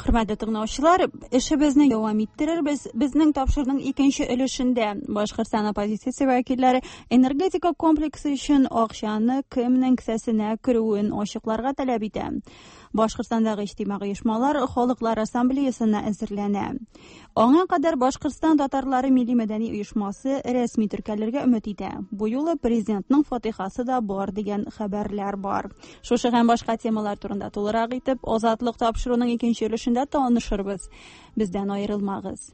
Хөрмәтле тыңлаучылар, эшебезне дәвам иттерербез. Безнең тапшыруның икенче өлешендә Башкортстан оппозициясе вәкилләре энергетика комплексы өчен акчаны кемнең кесәсенә керүен ачыкларга таләп итә. Башкортстандагы иҗтимагый оешмалар Халыклар ассамблеясына әзерләнә. Аңа кадәр Башкортстан татарлары милли мәдәни оешмасы рәсми теркәлергә өмет итә. Бу юлы президентның фатихасы да бар дигән хәбәрләр бар. Шушы һәм башка темалар турында тулырак итеп Азатлык тапшыруның икенче өлешендә танышырбыз. Бездән аерылмагыз.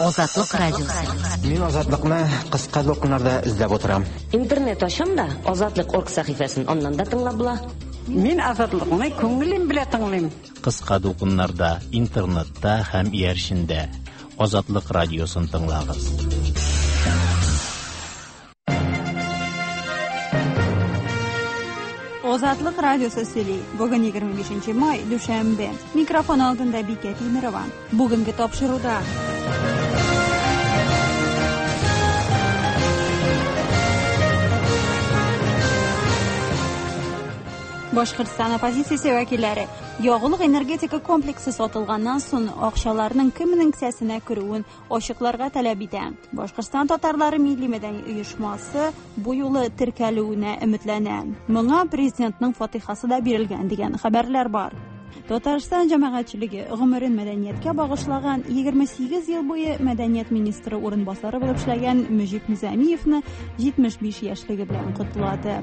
Азатлык радиосы. Мин Азатлыкны кыска дулкыннарда эзләп утырам. Интернет ачам да Азатлык орг сәхифәсен аннан да тыңлап була. Мин Азатлыкны күңелем белән тыңлыйм. Кыска дулкыннарда, интернетта һәм иярчендә Азатлык радиосын тыңлагыз. Азатлык радиосы сөйли. Бүген егерме бишенче май, дүшәмбе. Микрофон алдында Бикә Тимирова. Бүгенге тапшыруда Башкортстан оппозициясе вәкилләре ягулык энергетика комплексы сатылганнан соң акчаларның кемнең кесәсенә керүен ачыкларга таләп итә. Башкортстан татарлары милли мәдәни оешмасы бу юлы теркәлүенә өметләнә. Моңа президентның фатихасы да бирелгән дигән хәбәрләр бар. Татарстан җәмәгатьчелеге гомерен мәдәнияткә багышлаган егерме сигез ел буе мәдәният министры урынбасары булып эшләгән Мөҗип Низамиевны җитмеш биш яшьлеге белән котлады.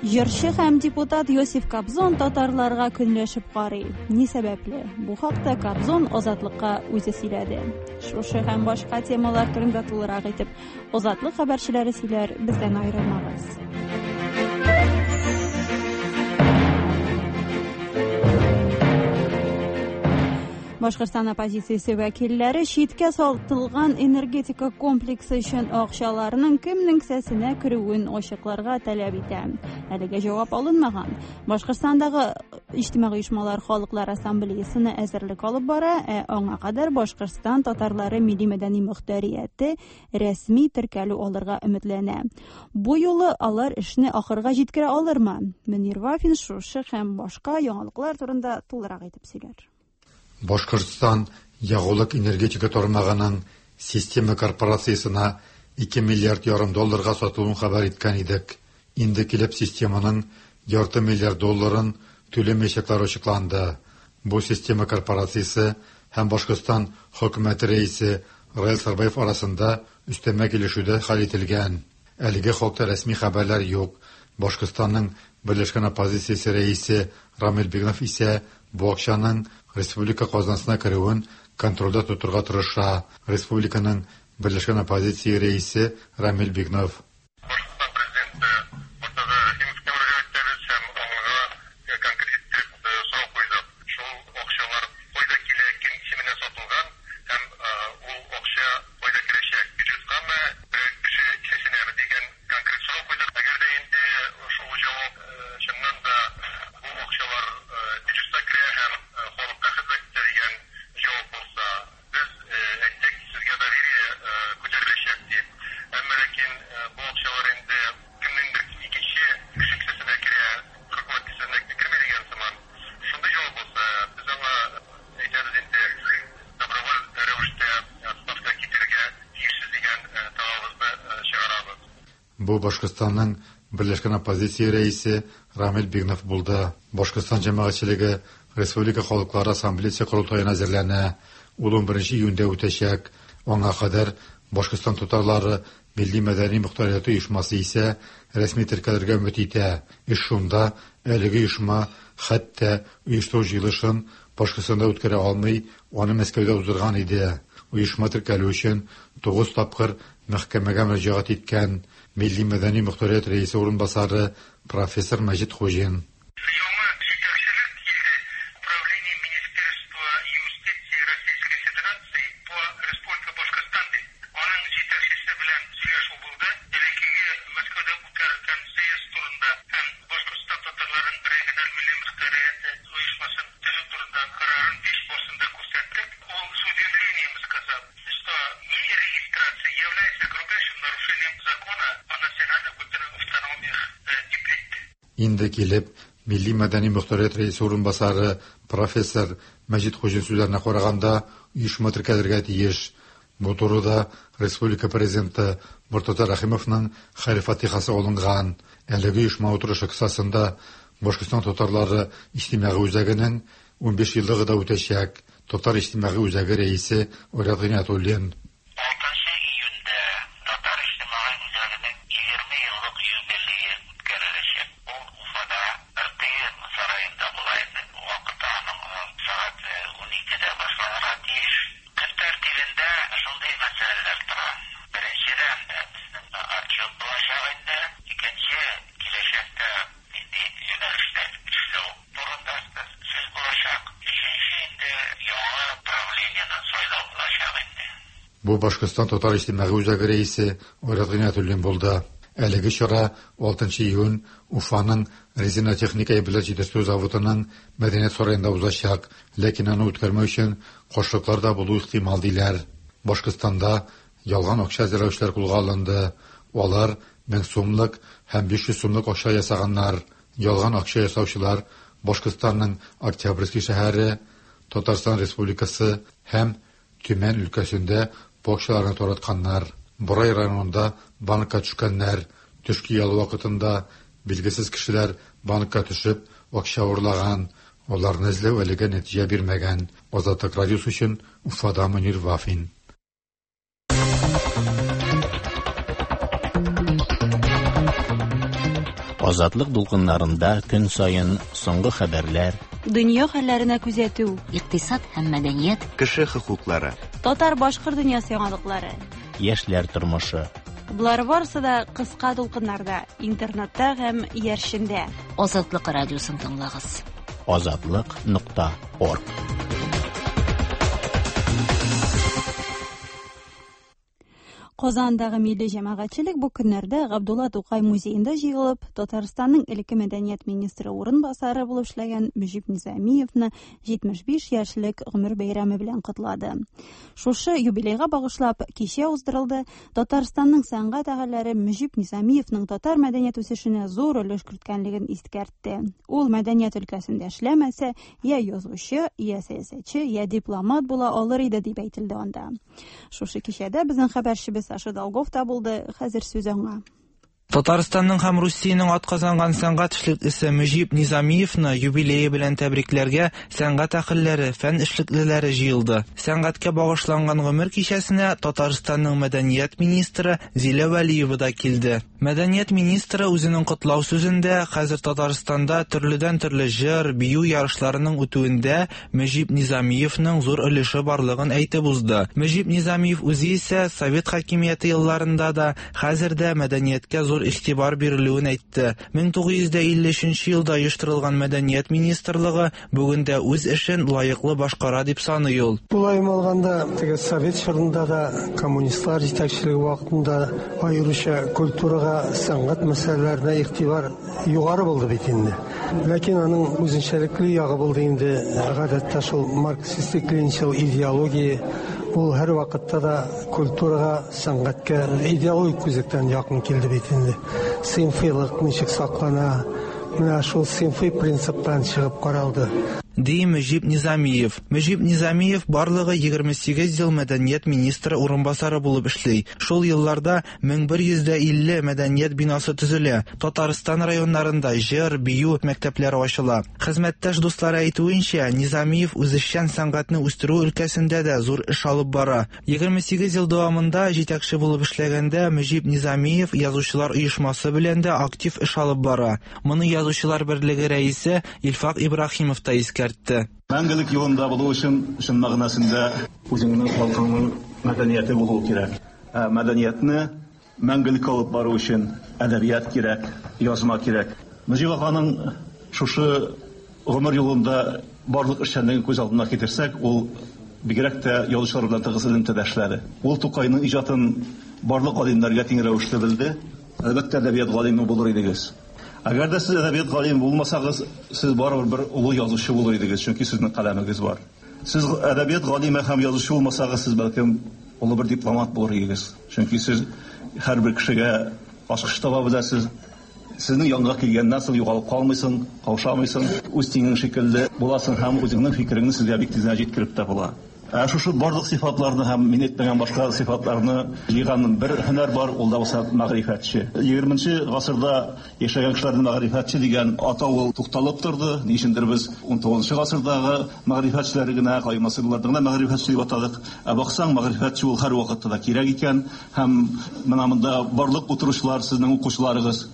Җырчы һәм депутат Йосиф Кобзон татарларга көнләшеп карый. Ни сәбәпле? Бу хакта Кобзон Азатлыкка үзе сөйләде. Шушы һәм башка темалар турында тулырак итеп Азатлык хәбәрчеләре сөйләр, бездән аерылмагыз. Башкортстан оппозициясе вәкилләре читкә сатылган энергетика комплексы өчен акчаларның кемнең кесәсенә керүен ачыкларга таләп итә. Әлегә җавап алынмаган. Башкортстандагы иҗтимагый оешмалар Халыклар ассамблеясына әзерлек алып бара, ә аңа кадәр Башкортстан татарлары милли мәдәни мөхтәрияте рәсми теркәлү алырга өметләнә. Бу юлы алар эшне ахырга җиткерә алырмы? Мөнир Вафин шушы һәм башка яңалыклар турында тулырак итеп сөйләр. Башкортстан ягулык энергетика тармагының система корпорациясына ике миллиард ярым долларга сатылуын хәбәр иткән идек. Инде килеп системаның ярты миллиард долларын түләмәячәкләре ачыкланды. Бу система корпорациясе һәм Башкортстан хөкүмәте рәисе Раил Сарбаев арасында өстәмә килешүдә хәл ителгән. Әлеге хакта рәсми хәбәрләр юк. Башкортстанның Берләшкән оппозициясе рәисе Рамил Бигнов исә бу акчаның республика казнасына керүен контрольдә тотырга тырыша. Республиканың Берләшкән оппозиция рәисе Рамил Бигнов. Бу Башкортстанның Берләшкән оппозиция рәисе Рамил Бигнов булды. Башкортстан җәмәгатьчелеге Республика Халыклары ассамблеясы корылтаена әзерләнә. Ул ун беренче июньдә үтәчәк. Аңа кадәр Башкортстан татарлары милли мәдәни мөхтәрияте оешмасы исә рәсми теркәлергә өмет итә. Эш шунда, әлеге оешма хәтта оештыру җыелышын Башкортстанда үткәрә алмый, аны Мәскәүдә уздырган иде. Оешма теркәлү өчен тугыз тапкыр мәхкәмәгә мөрәҗәгать иткән Милли мәдәни мөхтәрият рәисе урынбасары профессор Мәҗит Хуҗин. Инде килеп, Милли мәдәни мөхтәрият рәисе урынбасары профессор Мәҗит Хуҗин сүзләренә караганда, оешма теркәлергә тиеш. Бу турыда республика президенты Мортаза Рәхимовның хәер-фатихасы алынган. Әлеге оешма утырышы кысасында Башкортстан татарлары иҗтимагый үзәгенең унбиш еллыгы да үтәчәк. Татар иҗтимагый үзәге рәисе Айрат Гыйниятуллин. Алтынчы июньдә Татар иҗтимагый үзәгенең егерме еллык юбилее үткәреләчәк. Ул Уфада Р Т М сараенда була инде. Вакыты аның сәгать уникедә башланырга тиеш. Көн тәртибендә шундый мәсьәләләр тора. Беренчедән, безнең отчет булачак инде. Икенче, киләчәктә нинди юнәлештә эшләү турында сүз булачак. Өченче инде яңа правлениене сайлау булачак инде. Бу Башкортстан Татар иҗтимагый үзәге рәисе Айрат Гыйниятуллин булды. Әлеге чара алтынчы июнь Уфаның резина техника әйберләр җитештерү заводының мәдәният сараенда узачак, ләкин аны үткәрмәү өчен каршылыклар да булу ихтимал диләр. Башкортстанда ялган акча әзерләүчеләр кулга алынды. Алар мең сумлык һәм биш йөз сумлык акча ясаганнар. Ялган акча ясаучылар Башкортстанның Октябрьский шәһәре, Татарстан Республикасы һәм Төмән өлкәсендә бу акчаларны таратканнар. Борай районында банкка төшкәннәр. Төшке ял вакытында билгесез кешеләр банкка төшеп акча урлаган. Аларны эзләү әлегә нәтиҗә бирмәгән. Азатлык радиосы өчен Уфада Мөнир Вафин. Азатлык дулкыннарында көн саен соңгы хәбәрләр, дөнья хәлләренә күзәтү, икътисад һәм мәдәният, кеше хокуклары, татар-башкорт дөньясы яңалыклары, яшьләр тормышы. Болар барысы да кыска дулкыннарда, интернетта һәм иярчендә. Азатлык радиосын тыңлагыз. Азатлык нокта орг. Казандагы милли җәмәгатьчелек бу көннәрдә Габдулла Тукай музеенда җыелып, Татарстанның элекке мәдәният министры урынбасары булып эшләгән Мөҗип Низамиевны җитмеш биш яшьлек гомер бәйрәме белән котлады. Шушы юбилейга багышлап кичә уздырылды. Татарстанның сәнгать әһелләре Мөҗип Низамиевның татар мәдәният үсешенә зур өлеш керткәнлеген искәртте. Ул мәдәният өлкәсендә эшләмәсә, я язучы, я сәясәтче, я дипломат була алыр иде дип әйтелде анда. Шушы кичәдә безнең хәбәрчебез Саша Долгов та булды, хәзер сүз аңа. Татарстанның һәм Русиянең атказанган сәнгать эшлеклесе Мөҗип Низамиевны юбилее белән тәбрикләргә сәнгать әһелләре, фән эшлеклеләре җыелды. Сәнгатькә багышланган гомер кичәсенә Татарстанның мәдәният министры Зилә Вәлиева да килде. Мәдәният министры үзенең котлау сүзендә хәзер Татарстанда төрледән-төрле җыр, бию ярышларының үтүендә Мөҗип Низамиевның зур өлеше барлыгын әйтеп узды. Мөҗип Низамиев үзе исә совет хакимияте елларында да хәзер дә мәдәнияткә зур игътибар бирелүен әйтте. мең тугыз йөз илле өченче елда оештырылган мәдәният министрлыгы бүген дә үз эшен лаеклы башкара дип саный ул. Тулаем алганда, теге совет чорында да, коммунистлар җитәкчелеге вакытында аеруча культурага, сәнгать мәсьәләләренә игътибар югары булды бит инде. Ләкин аның үзенчәлекле ягы булды инде, гадәттә шул марксистик-ленинчыл идеология, ул һәр вакытта да культурага, сәнгатькә идеологик күзлектән якын килде бит инде. Сыйнфыйлык ничек саклана, менә шул сыйнфый принциптан чыгып каралды. Ди Мөҗип Низамиев. Мөҗип Низамиев барлыгы егерме сигез ел мәдәният министры урынбасары булып эшли. Шул елларда мең бер йөз илле мәдәният бинасы төзелә. Татарстан районнарында җыр, бию мәктәпләре ачыла. Хезмәттәш дуслары әйтүенчә, Низамиев үзешчән сәнгатьне үстерү өлкәсендә дә зур эш алып бара. Егерме сигез ел дәвамында җитәкче булып эшләгәндә Мөҗип Низамиев язучылар оешмасы белән дә актив эш алып бара. Моны Язучылар берлеге рәисе Илфак Ибраһимов та искәртте. Мәңгелек юлында булу өчен чын мәгънәсендә үзеңнең халкыңның мәдәнияте булуы кирәк. Ә мәдәниятне мәңгелек алып бару өчен әдәбият кирәк, язма кирәк. Мөҗип аганың шушы гомер юлында барлык эшчәнлеген күз алдына китерсәк, ул бигрәк тә язучылар белән тыгыз элемтәдә эшләде. Ул Тукайның иҗатын барлык галимнәргә тиң рәвешле белде. Әлбәттә, әдәбият галиме булыр идегез. Әгәр дә сез әдәбият галиме булмасагыз, сез барыбер бер олы язучы булыр идегез, чөнки сезнең каләмегез бар. Сез әдәбият галиме һәм язучы булмасагыз, сез бәлкем олы бер дипломат булыр идегез. Чөнки сез һәрбер кешегә ачкыч таба беләсез, Сезнең янга килгәннән соң югалып калмыйсың, каушамыйсың, үз тиңең шикелле буласың һәм үзеңнең фикереңне сезгә бик тиз генә җиткереп тә була. Ә шушы барлык сыйфатларны һәм мин әйтмәгән башка сыйфатларны җыйган бер һөнәр бар, ул да булса мәгърифәтче. Егерменче гасырда яшәгән кешеләрне мәгърифәтче дигән атау ул тукталып торды. Ни өчендер без ун тугызынчы гасырдагы мәгърифәтчеләр генә, каймасырларны гына мәгърифәтче дип атадык. Ә баксаң, мәгърифәтче ул һәр вакытта да кирәк икән. Һәм менә монда барлык утыручылар сезнең укучыларыгыз.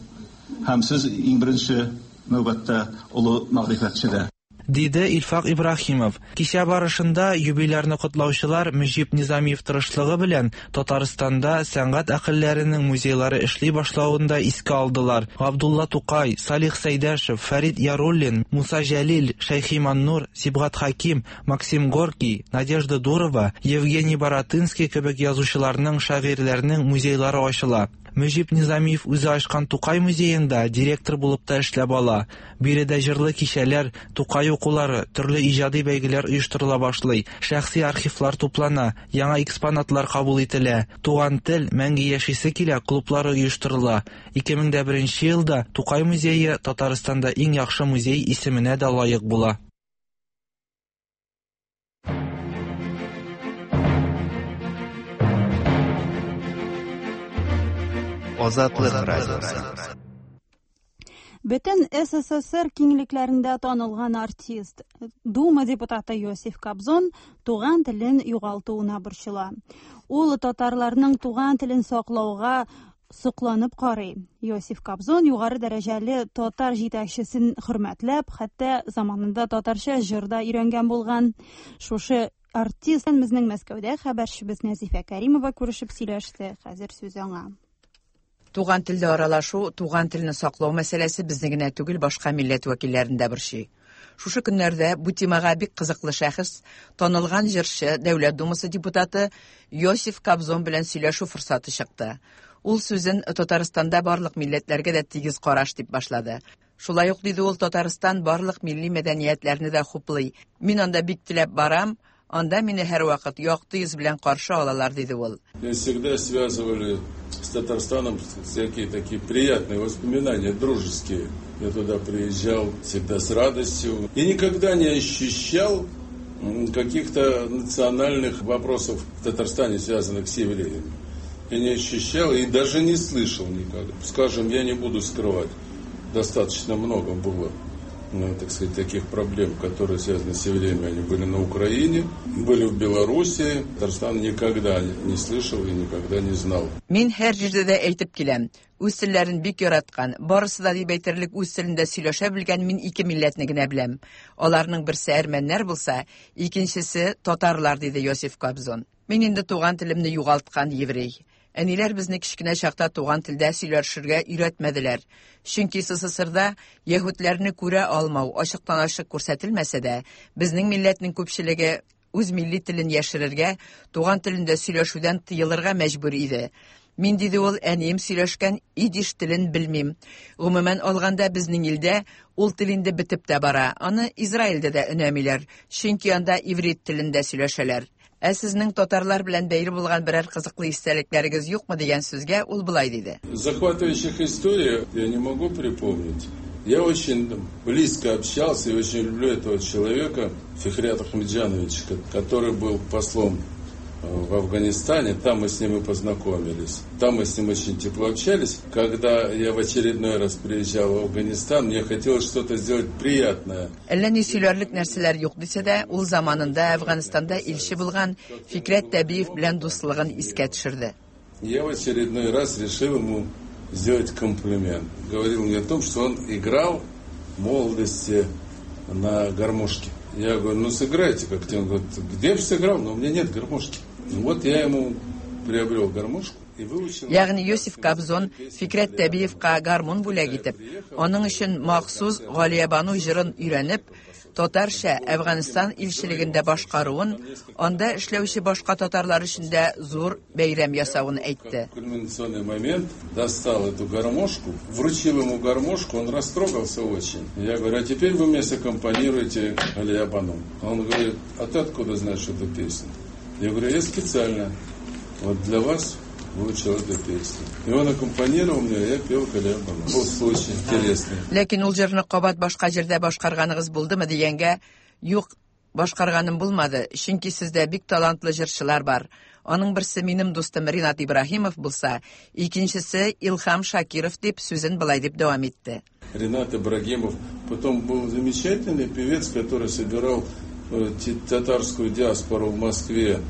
Һәм сез иң беренче нәүбәттә олы мәгърифәтче дә. Диде Илфак Ибраһимов. Кичә барышында юбилярны котлаучылар Мөҗип Низамиев тырышлыгы белән Татарстанда сәнгать әһелләренең музейлары эшли башлавын да искә алдылар. Габдулла Тукай, Салих Сәйдәшев, Фәрид Яруллин, Муса Җәлил, Шәйхи Маннур, Сибгат Хаким, Максим Горький, Надежда Дурова, Евгений Баратынский кебек язучыларның, шагыйрьләрнең музейлары ачыла. Мөҗип Низамиев үзе ачкан Тукай музеенда директор булып та эшләп ала. Биредә җырлы кичәләр, Тукай укулары, төрле иҗади бәйгеләр оештырыла башлый. Шәхси архивлар туплана, яңа экспонатлар кабул ителә. Туган тел, мәңге яшисе килә клублары оештырыла. ике мең дә беренче елда Тукай музее Татарстанда иң яхшы музей исеменә дә лаек була. Азатлык радиосы. Бөтен СССР киңлекләрендә танылган артист, Дума депутаты Йосиф Кобзон туган телен югалтуына борчыла. Ул татарларның туган телен саклауга сокланып карый. Йосиф Кобзон югары дәрәҗәле татар җитәкчесен хөрмәтләп, хәтта заманында татарча җыр да өйрәнгән булган. Шушы артист безнең Мәскәүдә хәбәрчебез Нәзифә Кәримова күрешеп сөйләште. Хәзер сүз аңа. Туган телдә аралашу, туган телне саклау мәсьәләсе безне генә түгел, башка милләт вәкилләрен дә борчый. Шушы көннәрдә бу темага бик кызыклы шәхес, танылган җырчы, Дәүләт Думасы депутаты Йосиф Кобзон белән сөйләшү форсаты чыкты. Ул сүзен Татарстанда барлык милләтләргә дә тигез караш дип башлады. Шулай ук диде ул, Татарстан барлык милли мәдәниятләрне дә хуплый. Мин анда бик теләп барам, анда мине һәрвакыт якты йөз белән каршы алалар, диде ул. Меня всегда связывали с Татарстаном всякие такие приятные воспоминания, дружеские. Я туда приезжал всегда с радостью. И никогда не ощущал каких-то национальных вопросов в Татарстане, связанных с евреями. Я не ощущал и даже не слышал никогда. Скажем, я не буду скрывать, достаточно много было, ну, так сказать, таких проблем, которые связаны с евреями. Они были на Украине, были в Белоруссии. Татарстан никогда не слышал и никогда не знал. Мин һәр җирдә дә әйтеп киләм. Үз телләрен бик яраткан, барысы да дип әйтерлек үз телендә сөйләшә белгән мин ике милләтне генә беләм. Аларның берсе әрмәннәр булса, икенчесе татарлар, диде Йосиф Кобзон. Мин инде туган телемне югалткан еврей. Әниләр безне кечкенә чакта туган телдә сөйләшергә өйрәтмәделәр. Чөнки СССРда яһүдләрне күрә алмау ачыктан-ачык күрсәтелмәсә дә, безнең милләтнең күпчелеге үз милли телен яшерергә, туган телендә сөйләшүдән тыелырга мәҗбүр иде. Мин, диде ул, әнием сөйләшкән идиш телен белмим. Гомумән алганда безнең илдә ул тел инде бетеп тә бара. Аны Израильдә дә өнәмиләр, чөнки анда иврит телендә сөйләшәләр. Ә сезнең татарлар белән бәйле булган берәр кызыклы истәлекләрегез юкмы дигән сүзгә ул болай диде. Захватывающих историй я не могу припомнить. Я очень близко общался и очень люблю этого человека, Фикрята Ахмеджановича, который был послом в Афганистане. Там мы с ним и познакомились. Там мы с ним очень тепло общались. Когда я в очередной раз приезжал в Афганистан, мне хотелось что-то сделать приятное. Әллә ни сөйләрлек нәрсәләр юк дисә дә, ул заманында Әфганстанда илче булган Фикрәт Тәбиев белән дуслыгын искә төшерде. Я в очередной раз решил ему сделать комплимент. Говорил мне о том, что он играл в молодости на гармошке. Я говорю, ну сыграйте как-то. Он говорит, где бы сыграл, но у меня нет гармошки. Вот я ему приобрел гармошку и выучил. Ягъни Йосиф Кобзон Фикрәт Тәбиевка гармун бүләк итеп, аның өчен махсус Галиябану җырын өйрәнеп, татарча Әфганстан илчелегендә башкаруын, анда эшләүче башка татарлар өчен дә зур бәйрәм ясавын әйтте. Кульминационный момент, достал эту гармошку, вручил ему гармошку, он растрогался очень. Я говорю, а теперь вы мне саккомпанируете Галиябану. Он говорит, а ты откуда знаешь эту песню? Я говорю, я специально вот для вас выучил эту песню. И он аккомпанировал мне, я пел Галиябану. Был случай интересный. Ләкин ул җырны кабат башка җирдә башкарганыгыз булдымы дигәнгә, юк, башкарганым булмады, чөнки сездә бик талантлы җырчылар бар. Аның берсе минем дустым Ринат Ибраһимов булса, икенчесе Илһам Шакиров дип сүзен былай дип дәвам итте. Ринат Ибрагимов потом был замечательный певец, который собирал татарскую диаспору в Москве.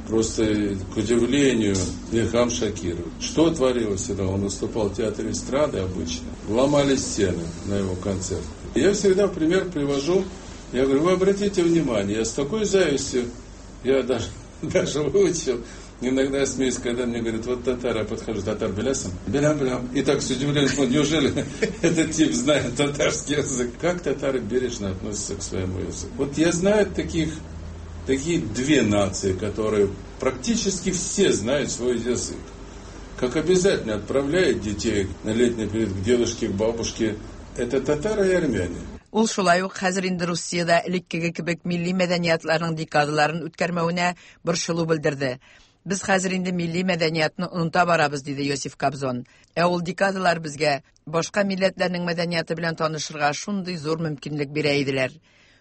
Просто, к удивлению, Илһам Шакиров. Что творилось всегда? Он выступал в театре эстрады обычно. Ломали стены на его концерт. Я всегда пример привожу. Я говорю, вы обратите внимание, я с такой завистью, я даже, даже выучил. Иногда я смеюсь, когда мне говорят, вот татар, я подхожу, татар белясом? Белям, белям. И так с удивлением смотрю, неужели этот тип знает татарский язык? Как татары бережно относятся к своему языку? Вот я знаю таких, такие две нации, которые практически все знают свой язык. Как обязательно отправляют детей на летний период к дедушке, к бабушке. Это татары и армяне. Ул шулай ук хәзер инде Русиядә элеккеге кебек милли мәдәниятларның декадаларын үткәрмәвенә борчылу белдерде. Без хәзер инде милли мәдәниятны оныта барабыз, диде Йосиф Кобзон. Ә ул декадалар безгә башка милләтләрнең мәдәнияте белән танышырга шундый зур мөмкинлек бирә иделәр.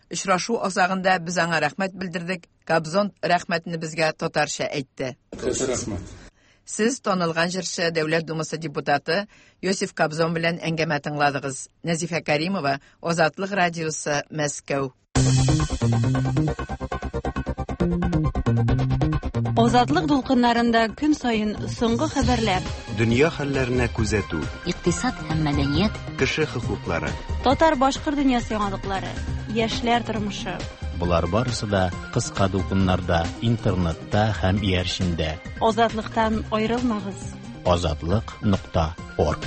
Очрашу азагында без аңа рәхмәт белдердек. Кобзон рәхмәтне безгә татарча әйтте. Рәхмәт. Сез танылган җырчы, Дәүләт Думасы депутаты Йосиф Кобзон белән әңгәмә тыңладыгыз. Нәзифә Каримова, Азатлык радиосы, Мәскәү. Азатлык дулкыннарында көн саен соңгы хәбәрләр, дөнья хәлләренә күзәтү, икътисад һәм мәдәният, кеше хокуклары, татар-башкорт дөньясы яңалыклары, яшьләр тормышы. Болар барысы да кыска дулкыннарда, интернетта һәм иярчендә. Азатлыктан аерылмагыз. Азатлык нокта орг.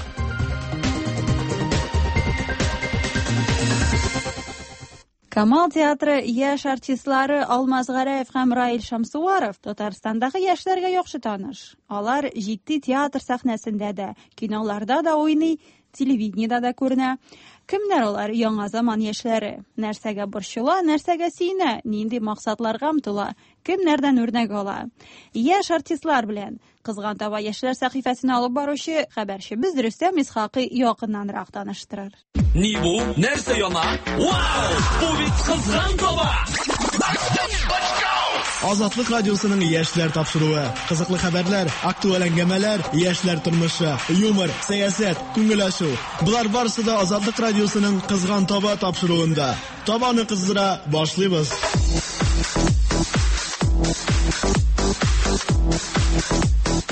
Камал театры яшь артистлары Алмаз Гәрәев һәм Раил Шамсуаров Татарстандагы яшьләргә яхшы таныш. Алар җитди театр сәхнәсендә дә, киноларда да уйный, телевидениедә дә күренә. Кемнәр алар, яңа заман яшьләре? Нәрсәгә борчыла, нәрсәгә сөенә, нинди максатларга омтыла, кемнәрдән үрнәк ала? Яшь артистлар белән Кызган таба яшьләр сәхифәсен алып баручы хәбәрчебез Рөстәм Исхакый якыннанрак таныштырыр. Ни бу? Нәрсә яна? Вау! Бу бит Кызган таба! Азатлык радиосының яшьләр тапшыруы. Кызыклы хәбәрләр, актуаль әңгәмәләр, яшьләр тормышы, юмор, сәясәт, күңел ачу. Болар барысы да Азатлык радиосының Кызган таба тапшыруында. Табаны кыздыра башлыйбыз.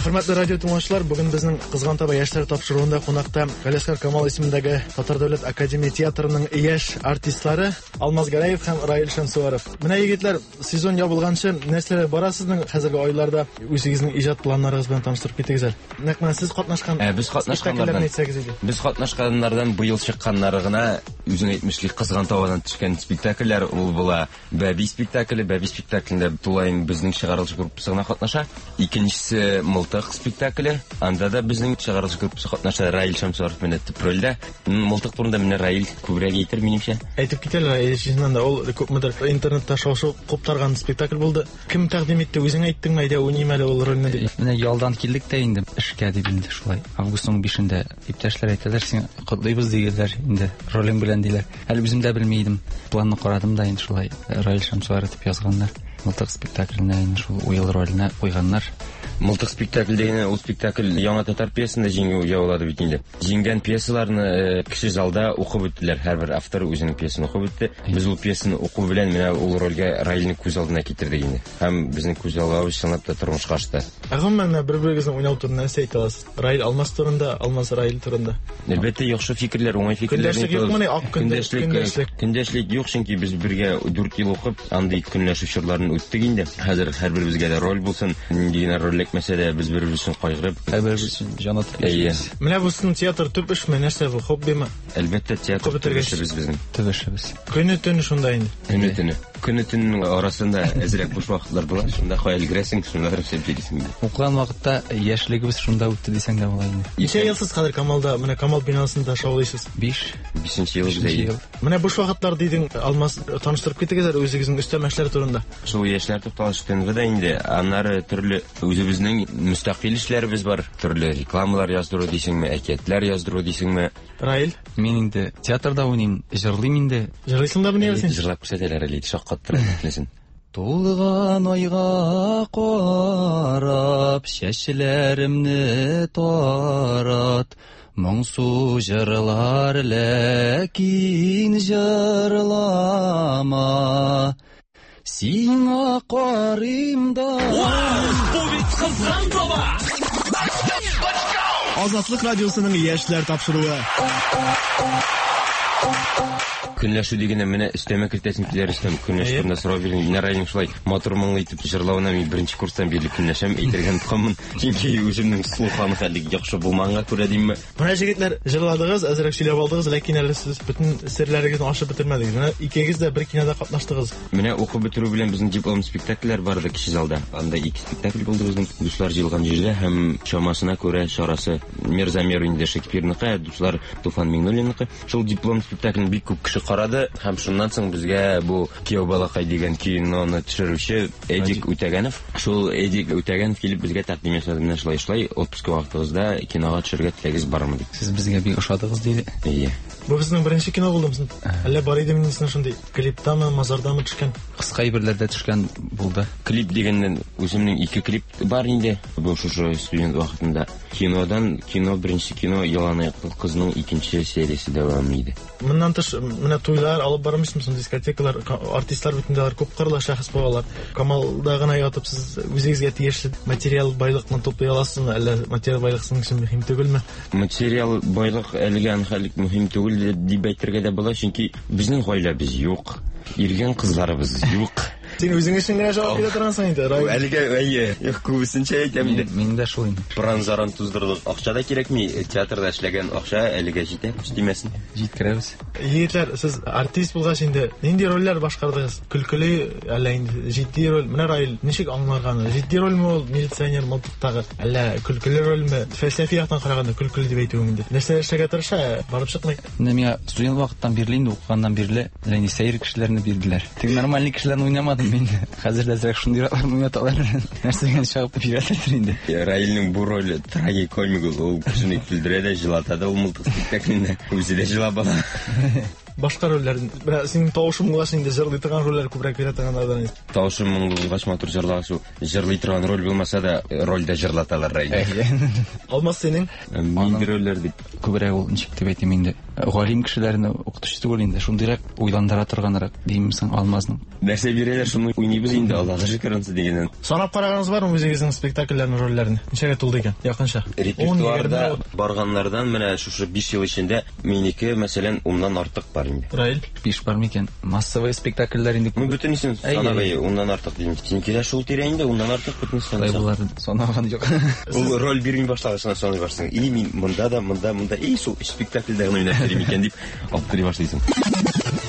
Хөрмәтле радио тыңлаучылар, бүген безнең Кызган таба яшьләр тапшыруында кунакта Галиәсгар Камал исемендәге Татар дәүләт академия театрының яшь артистлары Алмаз Гәрәев һәм Раил Шәмсуаров. Менә егетләр, сезон ябылганчы нәрсәләр бара сезнең хәзерге айларда? Үзегезнең иҗат планнарыгыз белән таныштырып китегез әле. Нәкъ менә сез катнашкан Ә, без катнашканнардан Без катнашканнардан быел чыкканнары гына үзең әйтмешли Кызган табадан төшкән спектакльләр ул була. Бәби спектакле, Бәби спектаклендә тулаем безнең чыгарылыш группасы гына катнаша. Икенчесе Мылтык спектакле. Анда да безнең чыгарылыш группасы катнаша. Раил Шәмсуаров менә төп рольдә. Мылтык турында менә Раил күбрәк әйтер минемчә. Әйтеп китәләр, Раил, чыннан да ул күпмедер интернетта шау-шу куптарган спектакль булды. Кем тәкъдим итте? Үзең әйттеңме, әйдә уйныйм әле ул рольне дип? Менә ялдан килдек тә инде эшкә дип инде шулай. Августның бишендә иптәшләр әйтәләр, син котлыйбыз дигәннәр инде, ролең белән диләр. Әле үзем дә белми идем. Планны карадым да инде шулай Раил Шәмсуаров дип язганнар. Мылтык спектакленә инде шул уел роленә куйганнар. Мылтык спектакль дигән ул спектакль яңа татар пьесасында җиңү яулады бит инде. Җиңгән пьесаларны кеше залда укып үттеләр. Һәрбер автор үзенең пьесасын укып үтте. Без ул пьесаны уку белән менә ул рольгә Раилне күз алдына китердек инде. Һәм безнең күз аллавыбыз чынлап та тормышка ашты. Ә гомумән бер-берегезнең уйнау турында нәрсә әйтә аласыз? Раил Алмаз турында, Алмаз Раил турында. Әлбәттә, яхшы фикерләр, уңай фикерләр. Көндәшлек юкмыни? Ак көндәшлек, көндәшлек. Көндәшлек юк, чөнки без бергә дүрт ел укып, андый көнләшү чорларын үттек инде. Хәзер һәрберебезгә дә роль булсын, нинди генә роль эләкмәсә дә без бер-беребез өчен кайгырып, һәрберебез өчен җан атып яшибез. Менә бу сезнең театр төп эшме, нәрсә бу, хоббиме? Әлбәттә, театр төп эшебез безнең. Төп эшебез. Көне төне шунда инде. Көне төне. Көне төннең арасында әзрәк буш вакытлар була. Шунда кая өлгерәсең, шунда рөхсәт бирәсең. Укыган вакытта яшьлегебез шунда үтте дисәң дә була инде. Ничә ел сез хәзер Камалда, менә Камал бинасында шаулыйсыз? Биш. Бишенче ел бездә. Менә буш вакытлар дидең, Алмаз, таныштырып китегез әле үзегезнең өстәмә эшләр турында. Шул яшьләр тукталышы ТНВда инде, аннары төрле үзебезнең мөстәкыйль эшләребез бар. Төрле рекламалар яздыру дисеңме, әкиятләр яздыру дисеңме. Раил? Мин инде театрда уйныйм, җырлыйм инде. Җырлыйсың да менә син? Җырлап күрсәтәләр әле, шаккаттыра бөтенесен. Тулган айга карап, чәчләремне тарат, моңсу җырлар ләкин җырлама. Сиңа карыйм да. Вау, бу бит кызган таба! Азатлык радиосының яшьләр тапшыруы. Көнләшү дигәндә менә өстәмә кертәсем килә, Рөстәм. Көнләшү турында сорау бирдең. Менә Раилнең шулай матур моңлы итеп җырлавына мин беренче курстан бирле көнләшәм, әйтергә онытканмын. Чөнки үземнең слухым хәле яхшы булмаганга күрә димме. Менә җегетләр, җырладыгыз, әзрәк сөйләп алдыгыз, ләкин әле сез бөтен серләрегезне ачып бетермәдегез. Менә икегез дә бер кинода катнаштыгыз. Менә укып бетерү белән безнең диплом спектакльләр барды кече залда. Анда ике спектакль булды безнең. Дуслар җыелган җирдә һәм чамасына күрә чарасы Мирзамир инде Шекспирныкы, дуслар Туфан Миңнуллинныкы. Шул диплом спектаклен бик күп кеше карады һәм шуннан соң безгә бу Кияү балакай дигән киноны төшерүче Эдик Үтәгәнов, шул Эдик Үтәгәнов килеп безгә тәкъдим ясады, менә шулай шулай отпуск вакытыгызда кинога төшерергә теләгегез бармы дип. Сез безгә бик ошадыгыз диде. Әйе. Бу безнең беренче кино булдымы? Әллә бар иде минем шундый клиптамы, мазардамы төшкән? Кыска әйберләрдә төшкән булды. Клип дигәннән үземнең ике клип бар инде. Бу шушы студент вакытында. Кинодан кино, беренче кино Ялан аяклы кызның икенче сериясе дәвам иде. Моннан тыш менә туйлар алып бармыйсызмы, дискотекалар, артистлар бит инде алар күп кырлы шәхес булалар. Камалда гына ятып сез үзегезгә тиешле материал байлыкны туплый аласызмы, әллә материал байлык сезнең өчен мөһим түгелме? Материал байлык әлегә анхалык мөһим түгел дип әйтергә дә була, чөнки безнең гаиләбез юк, иргән кызларыбыз юк. Син үзең өчен генә җавап бирә торгансың инде, Раил. Әлегә әйе, юк, күбесенчә әйтәм инде. Мин дә шул инде. Пыран-заран туздырдык. Акча да кирәкми, театрда эшләгән акча әлегә җитә, күз тимәсен. Җиткерәбез. Егетләр, сез артист булгач инде нинди рольләр башкардыгыз? Көлкеле, әллә инде җитди роль? Менә Раил ничек аңларганы? Җитди рольме ул, милиционер мылтыктагы, әллә көлкеле рольме? Фәлсәфи яктан караганда көлкеле дип әйтүем инде. Нәрсә эшләргә тырыша, барып чыкмый. Менә миңа студент вакыттан бирле инде укыганнан бирле, әллә инде сәер кешеләрне бирделәр. Тик нормальный кешеләрне уйнамадым мин. Хәзер дә әзрәк шундыйракларны уйнаталар. Нәрсәгә чыгып бирәләрдер инде. Раилнең бу роле трагикомик ул, ул кешене көлдерә дә, җылата да ул мылтык спектаклендә. Үзе дә җылап ала. Башка рольләр, менә синең тавышың булгач инде җырлый торган рольләр күбрәк бирә торганнардан. Тавышым моңлы булгач, матур җырлагач, ул җырлый торган роль булмаса да, рольдә җырлаталар Раилне. Алмаз, синең? Нинди рольләр дип? Күбрәк ул ничек дип әйтим инде, галим кешеләрне укытучы түгел инде, шундыйрак уйландыра торганрак димсең Алмазның. Нәрсә бирәләр, шуны уйныйбыз инде, Аллага шөкер ансы дигәннән. Санап караганыгыз бармы үзегезнең спектакльләрнең рольләрен? Ничәгә тулды икән? Якынча. Репертуарда барганнардан менә шушы биш ел эчендә минеке, мәсәлән, уннан артык бар инде. Раил? Биш бар микән? Массовый спектакльләр инде. Ну, бөтенесен санап, уннан артык дим. Синеке дә шул тирә инде, уннан артык бөтенесен санап. Санаган юк. Ул роль бирми башлагач, саный башлыйсың. И мин монда да, монда, монда, и шул спектакльдә генә уйнап йөрим икән дип аптырый башлыйсың.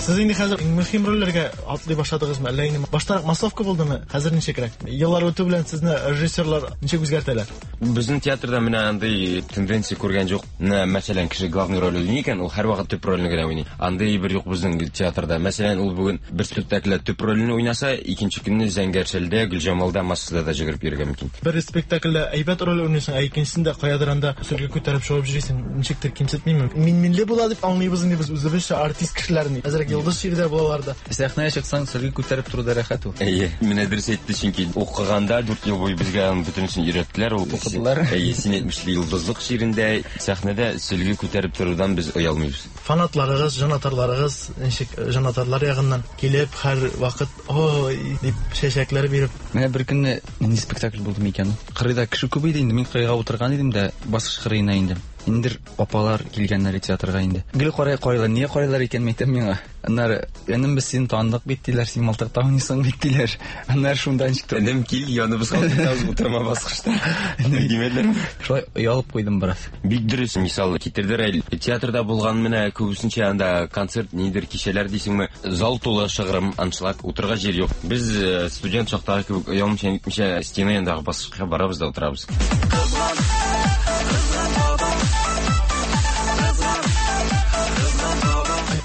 Сез инде хәзер мөһим рольләргә атлый башладыгызмы? Әллә инде баштарак массовка булдымы? Хәзер ничегрәк? Еллар үтү белән сезне режиссерлар ничек үзгәртәләр? Безнең театрда менә андый тенденция күргән юк. Менә, мәсәлән, кеше главный роль уйный икән, ул һәрвакыт төп рольне генә уйный. Андый бер юк безнең театрда. Мәсәлән, ул бүген бер спектакльдә төп рольне уйнаса, икенче көнне Зәңгәршәлдә, Гөлҗамалда массада да җигереп йөрергә мөмкин. Бер спектакльдә әйбәт роль уйныйсың, ә икенчесендә каядыр анда сөлге күтәреп чыгып йөрисең. Ничектер кимсетмиме? Мин-минле була дип аңлыйбыз инде без үзебезчә артист кешеләрне. Әзрәк йолдыз чирдә булалар да. Сәхнәгә чыксаң, сөлге күтәреп тору да рәхәт ул. Әйе, менә дөрес әйтте, чөнки укыганда дүрт ел буе безгә аның бөтенесен өйрәттеләр. Ул укыдылар. Әйе, син әйтмешли, йолдызлык чирендә сәхнәдә сөлге күтәреп торудан без оялмыйбыз. Фанатларыгыз, җанатарларыгыз ничек җанатарлар ягыннан килеп һәр вакыт ой дип чәчәкләр биреп. Менә бер көнне нинди спектакль булды микән? Кырыйда кеше күп иде инде, мин кырыйга утырган идем дә, баскыч кырыена инде. Индер апалар килгәннәр театрга инде. Гел карай карыйлар, нигә карыйлар икән әйтәм миңа. Аннары, энем без сине таныдык бит диләр, син мылтыкта уйныйсың бит диләр. Аннары шунда ничек Энем кил, яныбызга утырабыз, утырма баскычта. Димәделәрме? Шулай оялып куйдым бераз. Бик дөрес мисал китерде Раил. Театрда булган менә күбесенчә анда концерт нидер кичәләр дисеңме, зал тулы шыгрым, аншлаг, утырырга җир юк. Без студент чактагы кебек оялмыйча нитмичә стена янындагы баскычка барабыз да утырабыз.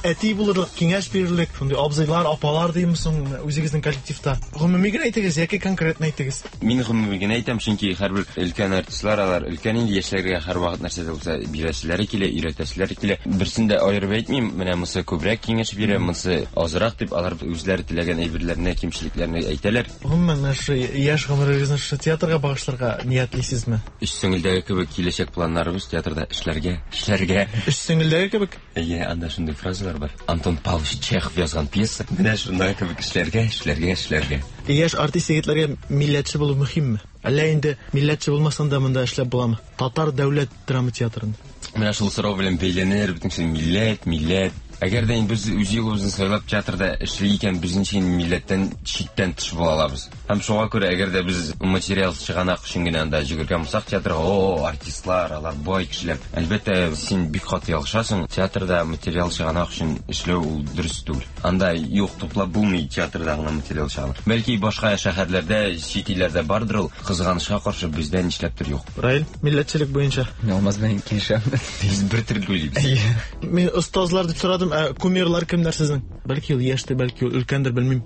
Әти булырлык, киңәш бирерлек, шундый абзыйлар, апалар димсең үзегезнең коллективта. Гомуми генә әйтегез яки конкретно әйтегез. Мин гомуми генә әйтәм, чөнки һәрбер өлкән артистлар алар өлкән инде яшьләргә һәрвакыт нәрсә дә булса бирәселәре килә, өйрәтәселәре килә. Берсен дә аерып әйтмим, менә монысы күбрәк киңәш бирә, монысы азрак дип алар үзләре теләгән әйберләрне, кимчелекләрне әйтәләр. Гомумән, менә шу яшь гомерегезне шушы театрга багышларга ниятлисезме? Өч сеңелдәге кебек киләчәк планнарыбыз театрда эшләргә, эшләргә. Өч сеңелдәге кебек? Әйе, анда шундый фразалар бар. Антон Павлович Чехов язган пьеса. Менә шундай кебек эшләргә, эшләргә, эшләргә. Яшь артист егетләргә милләтче булу мөһимме? Әллә инде милләтче булмасаң да монда эшләп буламы? Татар дәүләт драма театрында. Менә шул сорау белән бәйләнер бөтен милләт, милләт. Әгәр дә инде без үз юлыбызны сайлап театрда эшли икән, без ничек милләттән читтән тыш була алабыз. Һәм шуңа күрә әгәр дә без материал чыганак өчен генә анда йөгергән булсак театрга, о, артистлар, алар бай кешеләр. Әлбәттә, син бик каты ялгышасың. Театрда материал чыганак өчен эшләү ул дөрес түгел. Анда юк, туплап булмый театрда гына материал чыганак. Бәлки башка шәһәрләрдә, чит илләрдә бардыр ул, кызганычка каршы бездә нишләптер юк. Раил, милләтчелек буенча. Мин Алмаз белән килешәм. Без бер төрле уйлыйбыз. Мин остазлар дип сорадым. Ә кумирлар кемнәр сезнең? Бәлки ул яшьтер, бәлки ул өлкәндер, белмим.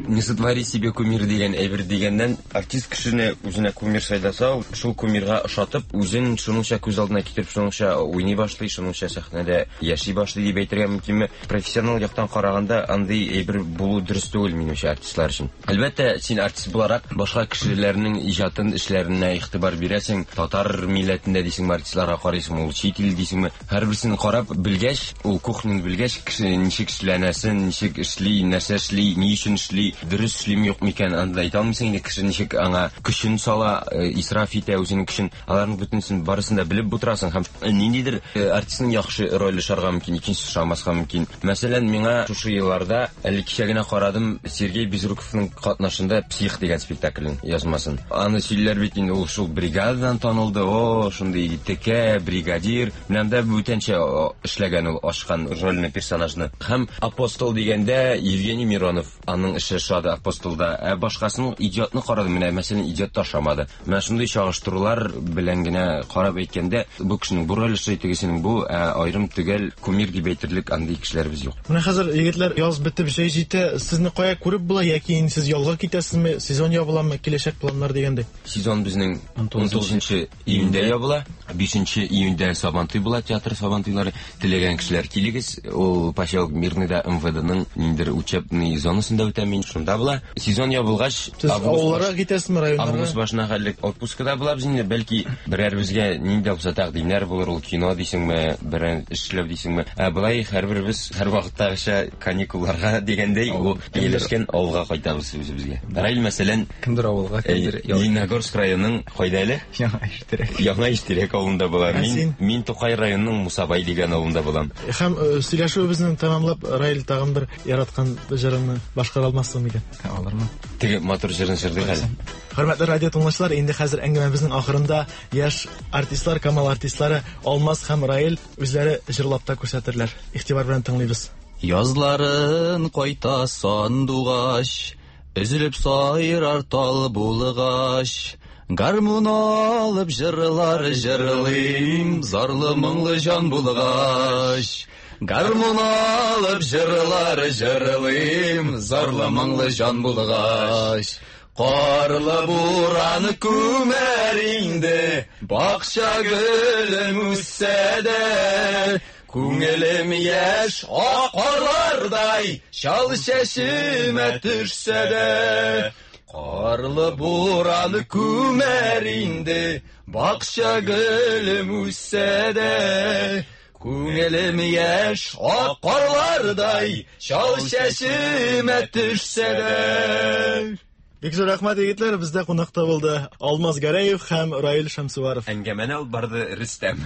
Не сотвори себе кумир дигән әйбер дигәннән, артист кешене үзенә кумир сайласа, ул шул кумирга ошатып, үзен шуныңча күз алдына китереп, шуныңча уйный башлый, шуныңча сәхнәдә яши башлый дип әйтергә мөмкинме? Профессионал яктан караганда андый әйбер булу дөрес түгел минемчә артистлар өчен. Әлбәттә, син артист буларак башка кешеләрнең иҗатын, эшләренә игътибар бирәсең, татар милләтендә дисеңме, артистларга карыйсың, ул чит ил дисеңме, һәрберсен карап белгәч, ул кухняны белгәч, кеше ничек эшләнәсен, ничек эшли, нәрсә эшли, ни өчен эшли, дөрес эшлиме юкмы икән, анда әйтә алмыйсың инде, кеше ничек аңа көчен сала, исраф итә үзенең көчен, аларның бөтенесен барысын да белеп утырасың һәм ниндидер артистның яхшы роль ошарга мөмкин, икенчесе ошамаска мөмкин. Мәсәлән, миңа шушы елларда әле кичә генә карадым Сергей Безруковның катнашында «Псих» дигән спектаклен язмасын. Аны сөйләр бит инде, ул шул бригададан танылды, о, шундый текә бригадир, менә анда бүтәнчә эшләгән ул ашкан рольне, персонажны. Һәм «Апостол» дигәндә Евгений Миронов, аның эше ошады «Апостолда», ә башкасының «Идиотны» карадым, менә мәсәлән «Идиот» та ошамады. Менә шундый чагыштырулар белән генә карап әйткәндә, бу кешенең бу роле ошый, тегесенең бу, ә аерым төгәл кумир дип әйтерлек андый кешеләребез юк. Менә хәзер егетләр, яз бетеп җәй җитә, сезне кая күреп була яки инде сез ялга китәсезме, сезон ябыламы, киләчәк планнар дигәндәй? Сезон безнең ун тугызынчы июньдә ябыла, бишенче июньдә Сабантуй була, театр Сабантуйлары. Теләгән кешеләр килегез, ул поселок Мирныйда эм вэ дэ-ның ниндидер учебный зонасында үтә, мин шунда була. Сезон ябылгач, сез авылларга китәсезме, районнарга? Август башына хәтле отпускада булабыз инде, бәлки берәрбезгә нинди булса тәкъдимнәр булыр, ул кино дисеңме, берәр эшләү дисеңме. Ә болай һәрберебез һәрвакыттагыча каникулларга дигәндәй, ул ияләшкән авылга кайтабыз үзебезгә. Раил, мәсәлән, кемдер авылга, кемдер Лениногорск районының кайда әле? Яңа Иштирәк. Яңа Иштирәк авылында була. Мин мин Тукай районының Мусабай дигән авылында булам. Һәм сөйләшүебезне тәмамлап, Раил, тагын бер яраткан җырыңны башкара алмассың микән? Алырмын. Теге матур җырын җырлыйк әле. Хөрмәтле радио тыңлаучылар, инде хәзер әңгәмәбезнең ахырында яшь артистлар, Камал артистлары Алмаз һәм Раил үзләре җырлап та күрсәтерләр. Игътибар белән тыңлыйбыз. Язларын кайта сандугач, өзелеп сайрар тал булгач, гармун алып җырлар җырлыйм, зарлы моңлы җан булгач. Гармун алып җырлар җырлыйм, зарлы моңлы җан булгач. Карлы буран күмәр инде, бакча гөлем үссә дә, күңелем яшь ак карлардай, чал чәчемә төшсә дә. Карлы буран күмәр инде, бакча гөлем үссә дә, күңелем яшь ак карлардай, чал чәчемә төшсә дә. Бик зур рәхмәт, егетләр, бездә кунакта булды Алмаз Гәрәев һәм Раил Шәмсуаров. Әңгәмәне алып барды Рөстәм.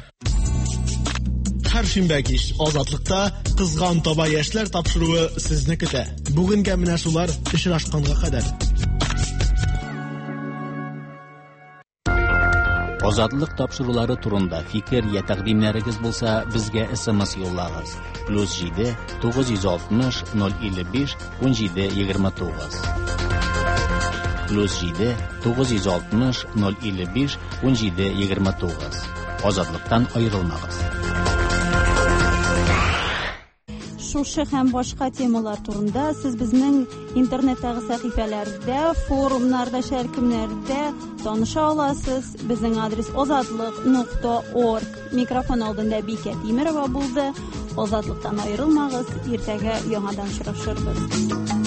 Һәр шимбә кич Азатлыкта Кызган таба яшьләр тапшыруы сезне көтә. Бүгенгә менә шулар, очрашканга кадәр. Азатлык тапшырулары турында фикер я тәкъдимнәрегез булса, безгә С М С юллагыз. Плюс җиде тугыз йөз алтмыш ноль илле биш ун җиде егерме тугыз. Плюс җиде тугыз йөз алтмыш ноль илле биш ун җиде егерме тугыз. Азатлыктан аерылмагыз. Шушы һәм башка темалар турында сез безнең интернеттагы сәхифәләрдә, форумнарда, шәркемнәрдә таныша аласыз. Безнең адрес озатлык нокта орг. Микрофон алдында Бикә Тимерова булды. Азатлыктан аерылмагыз. Иртәгә яңадан очрашырбыз.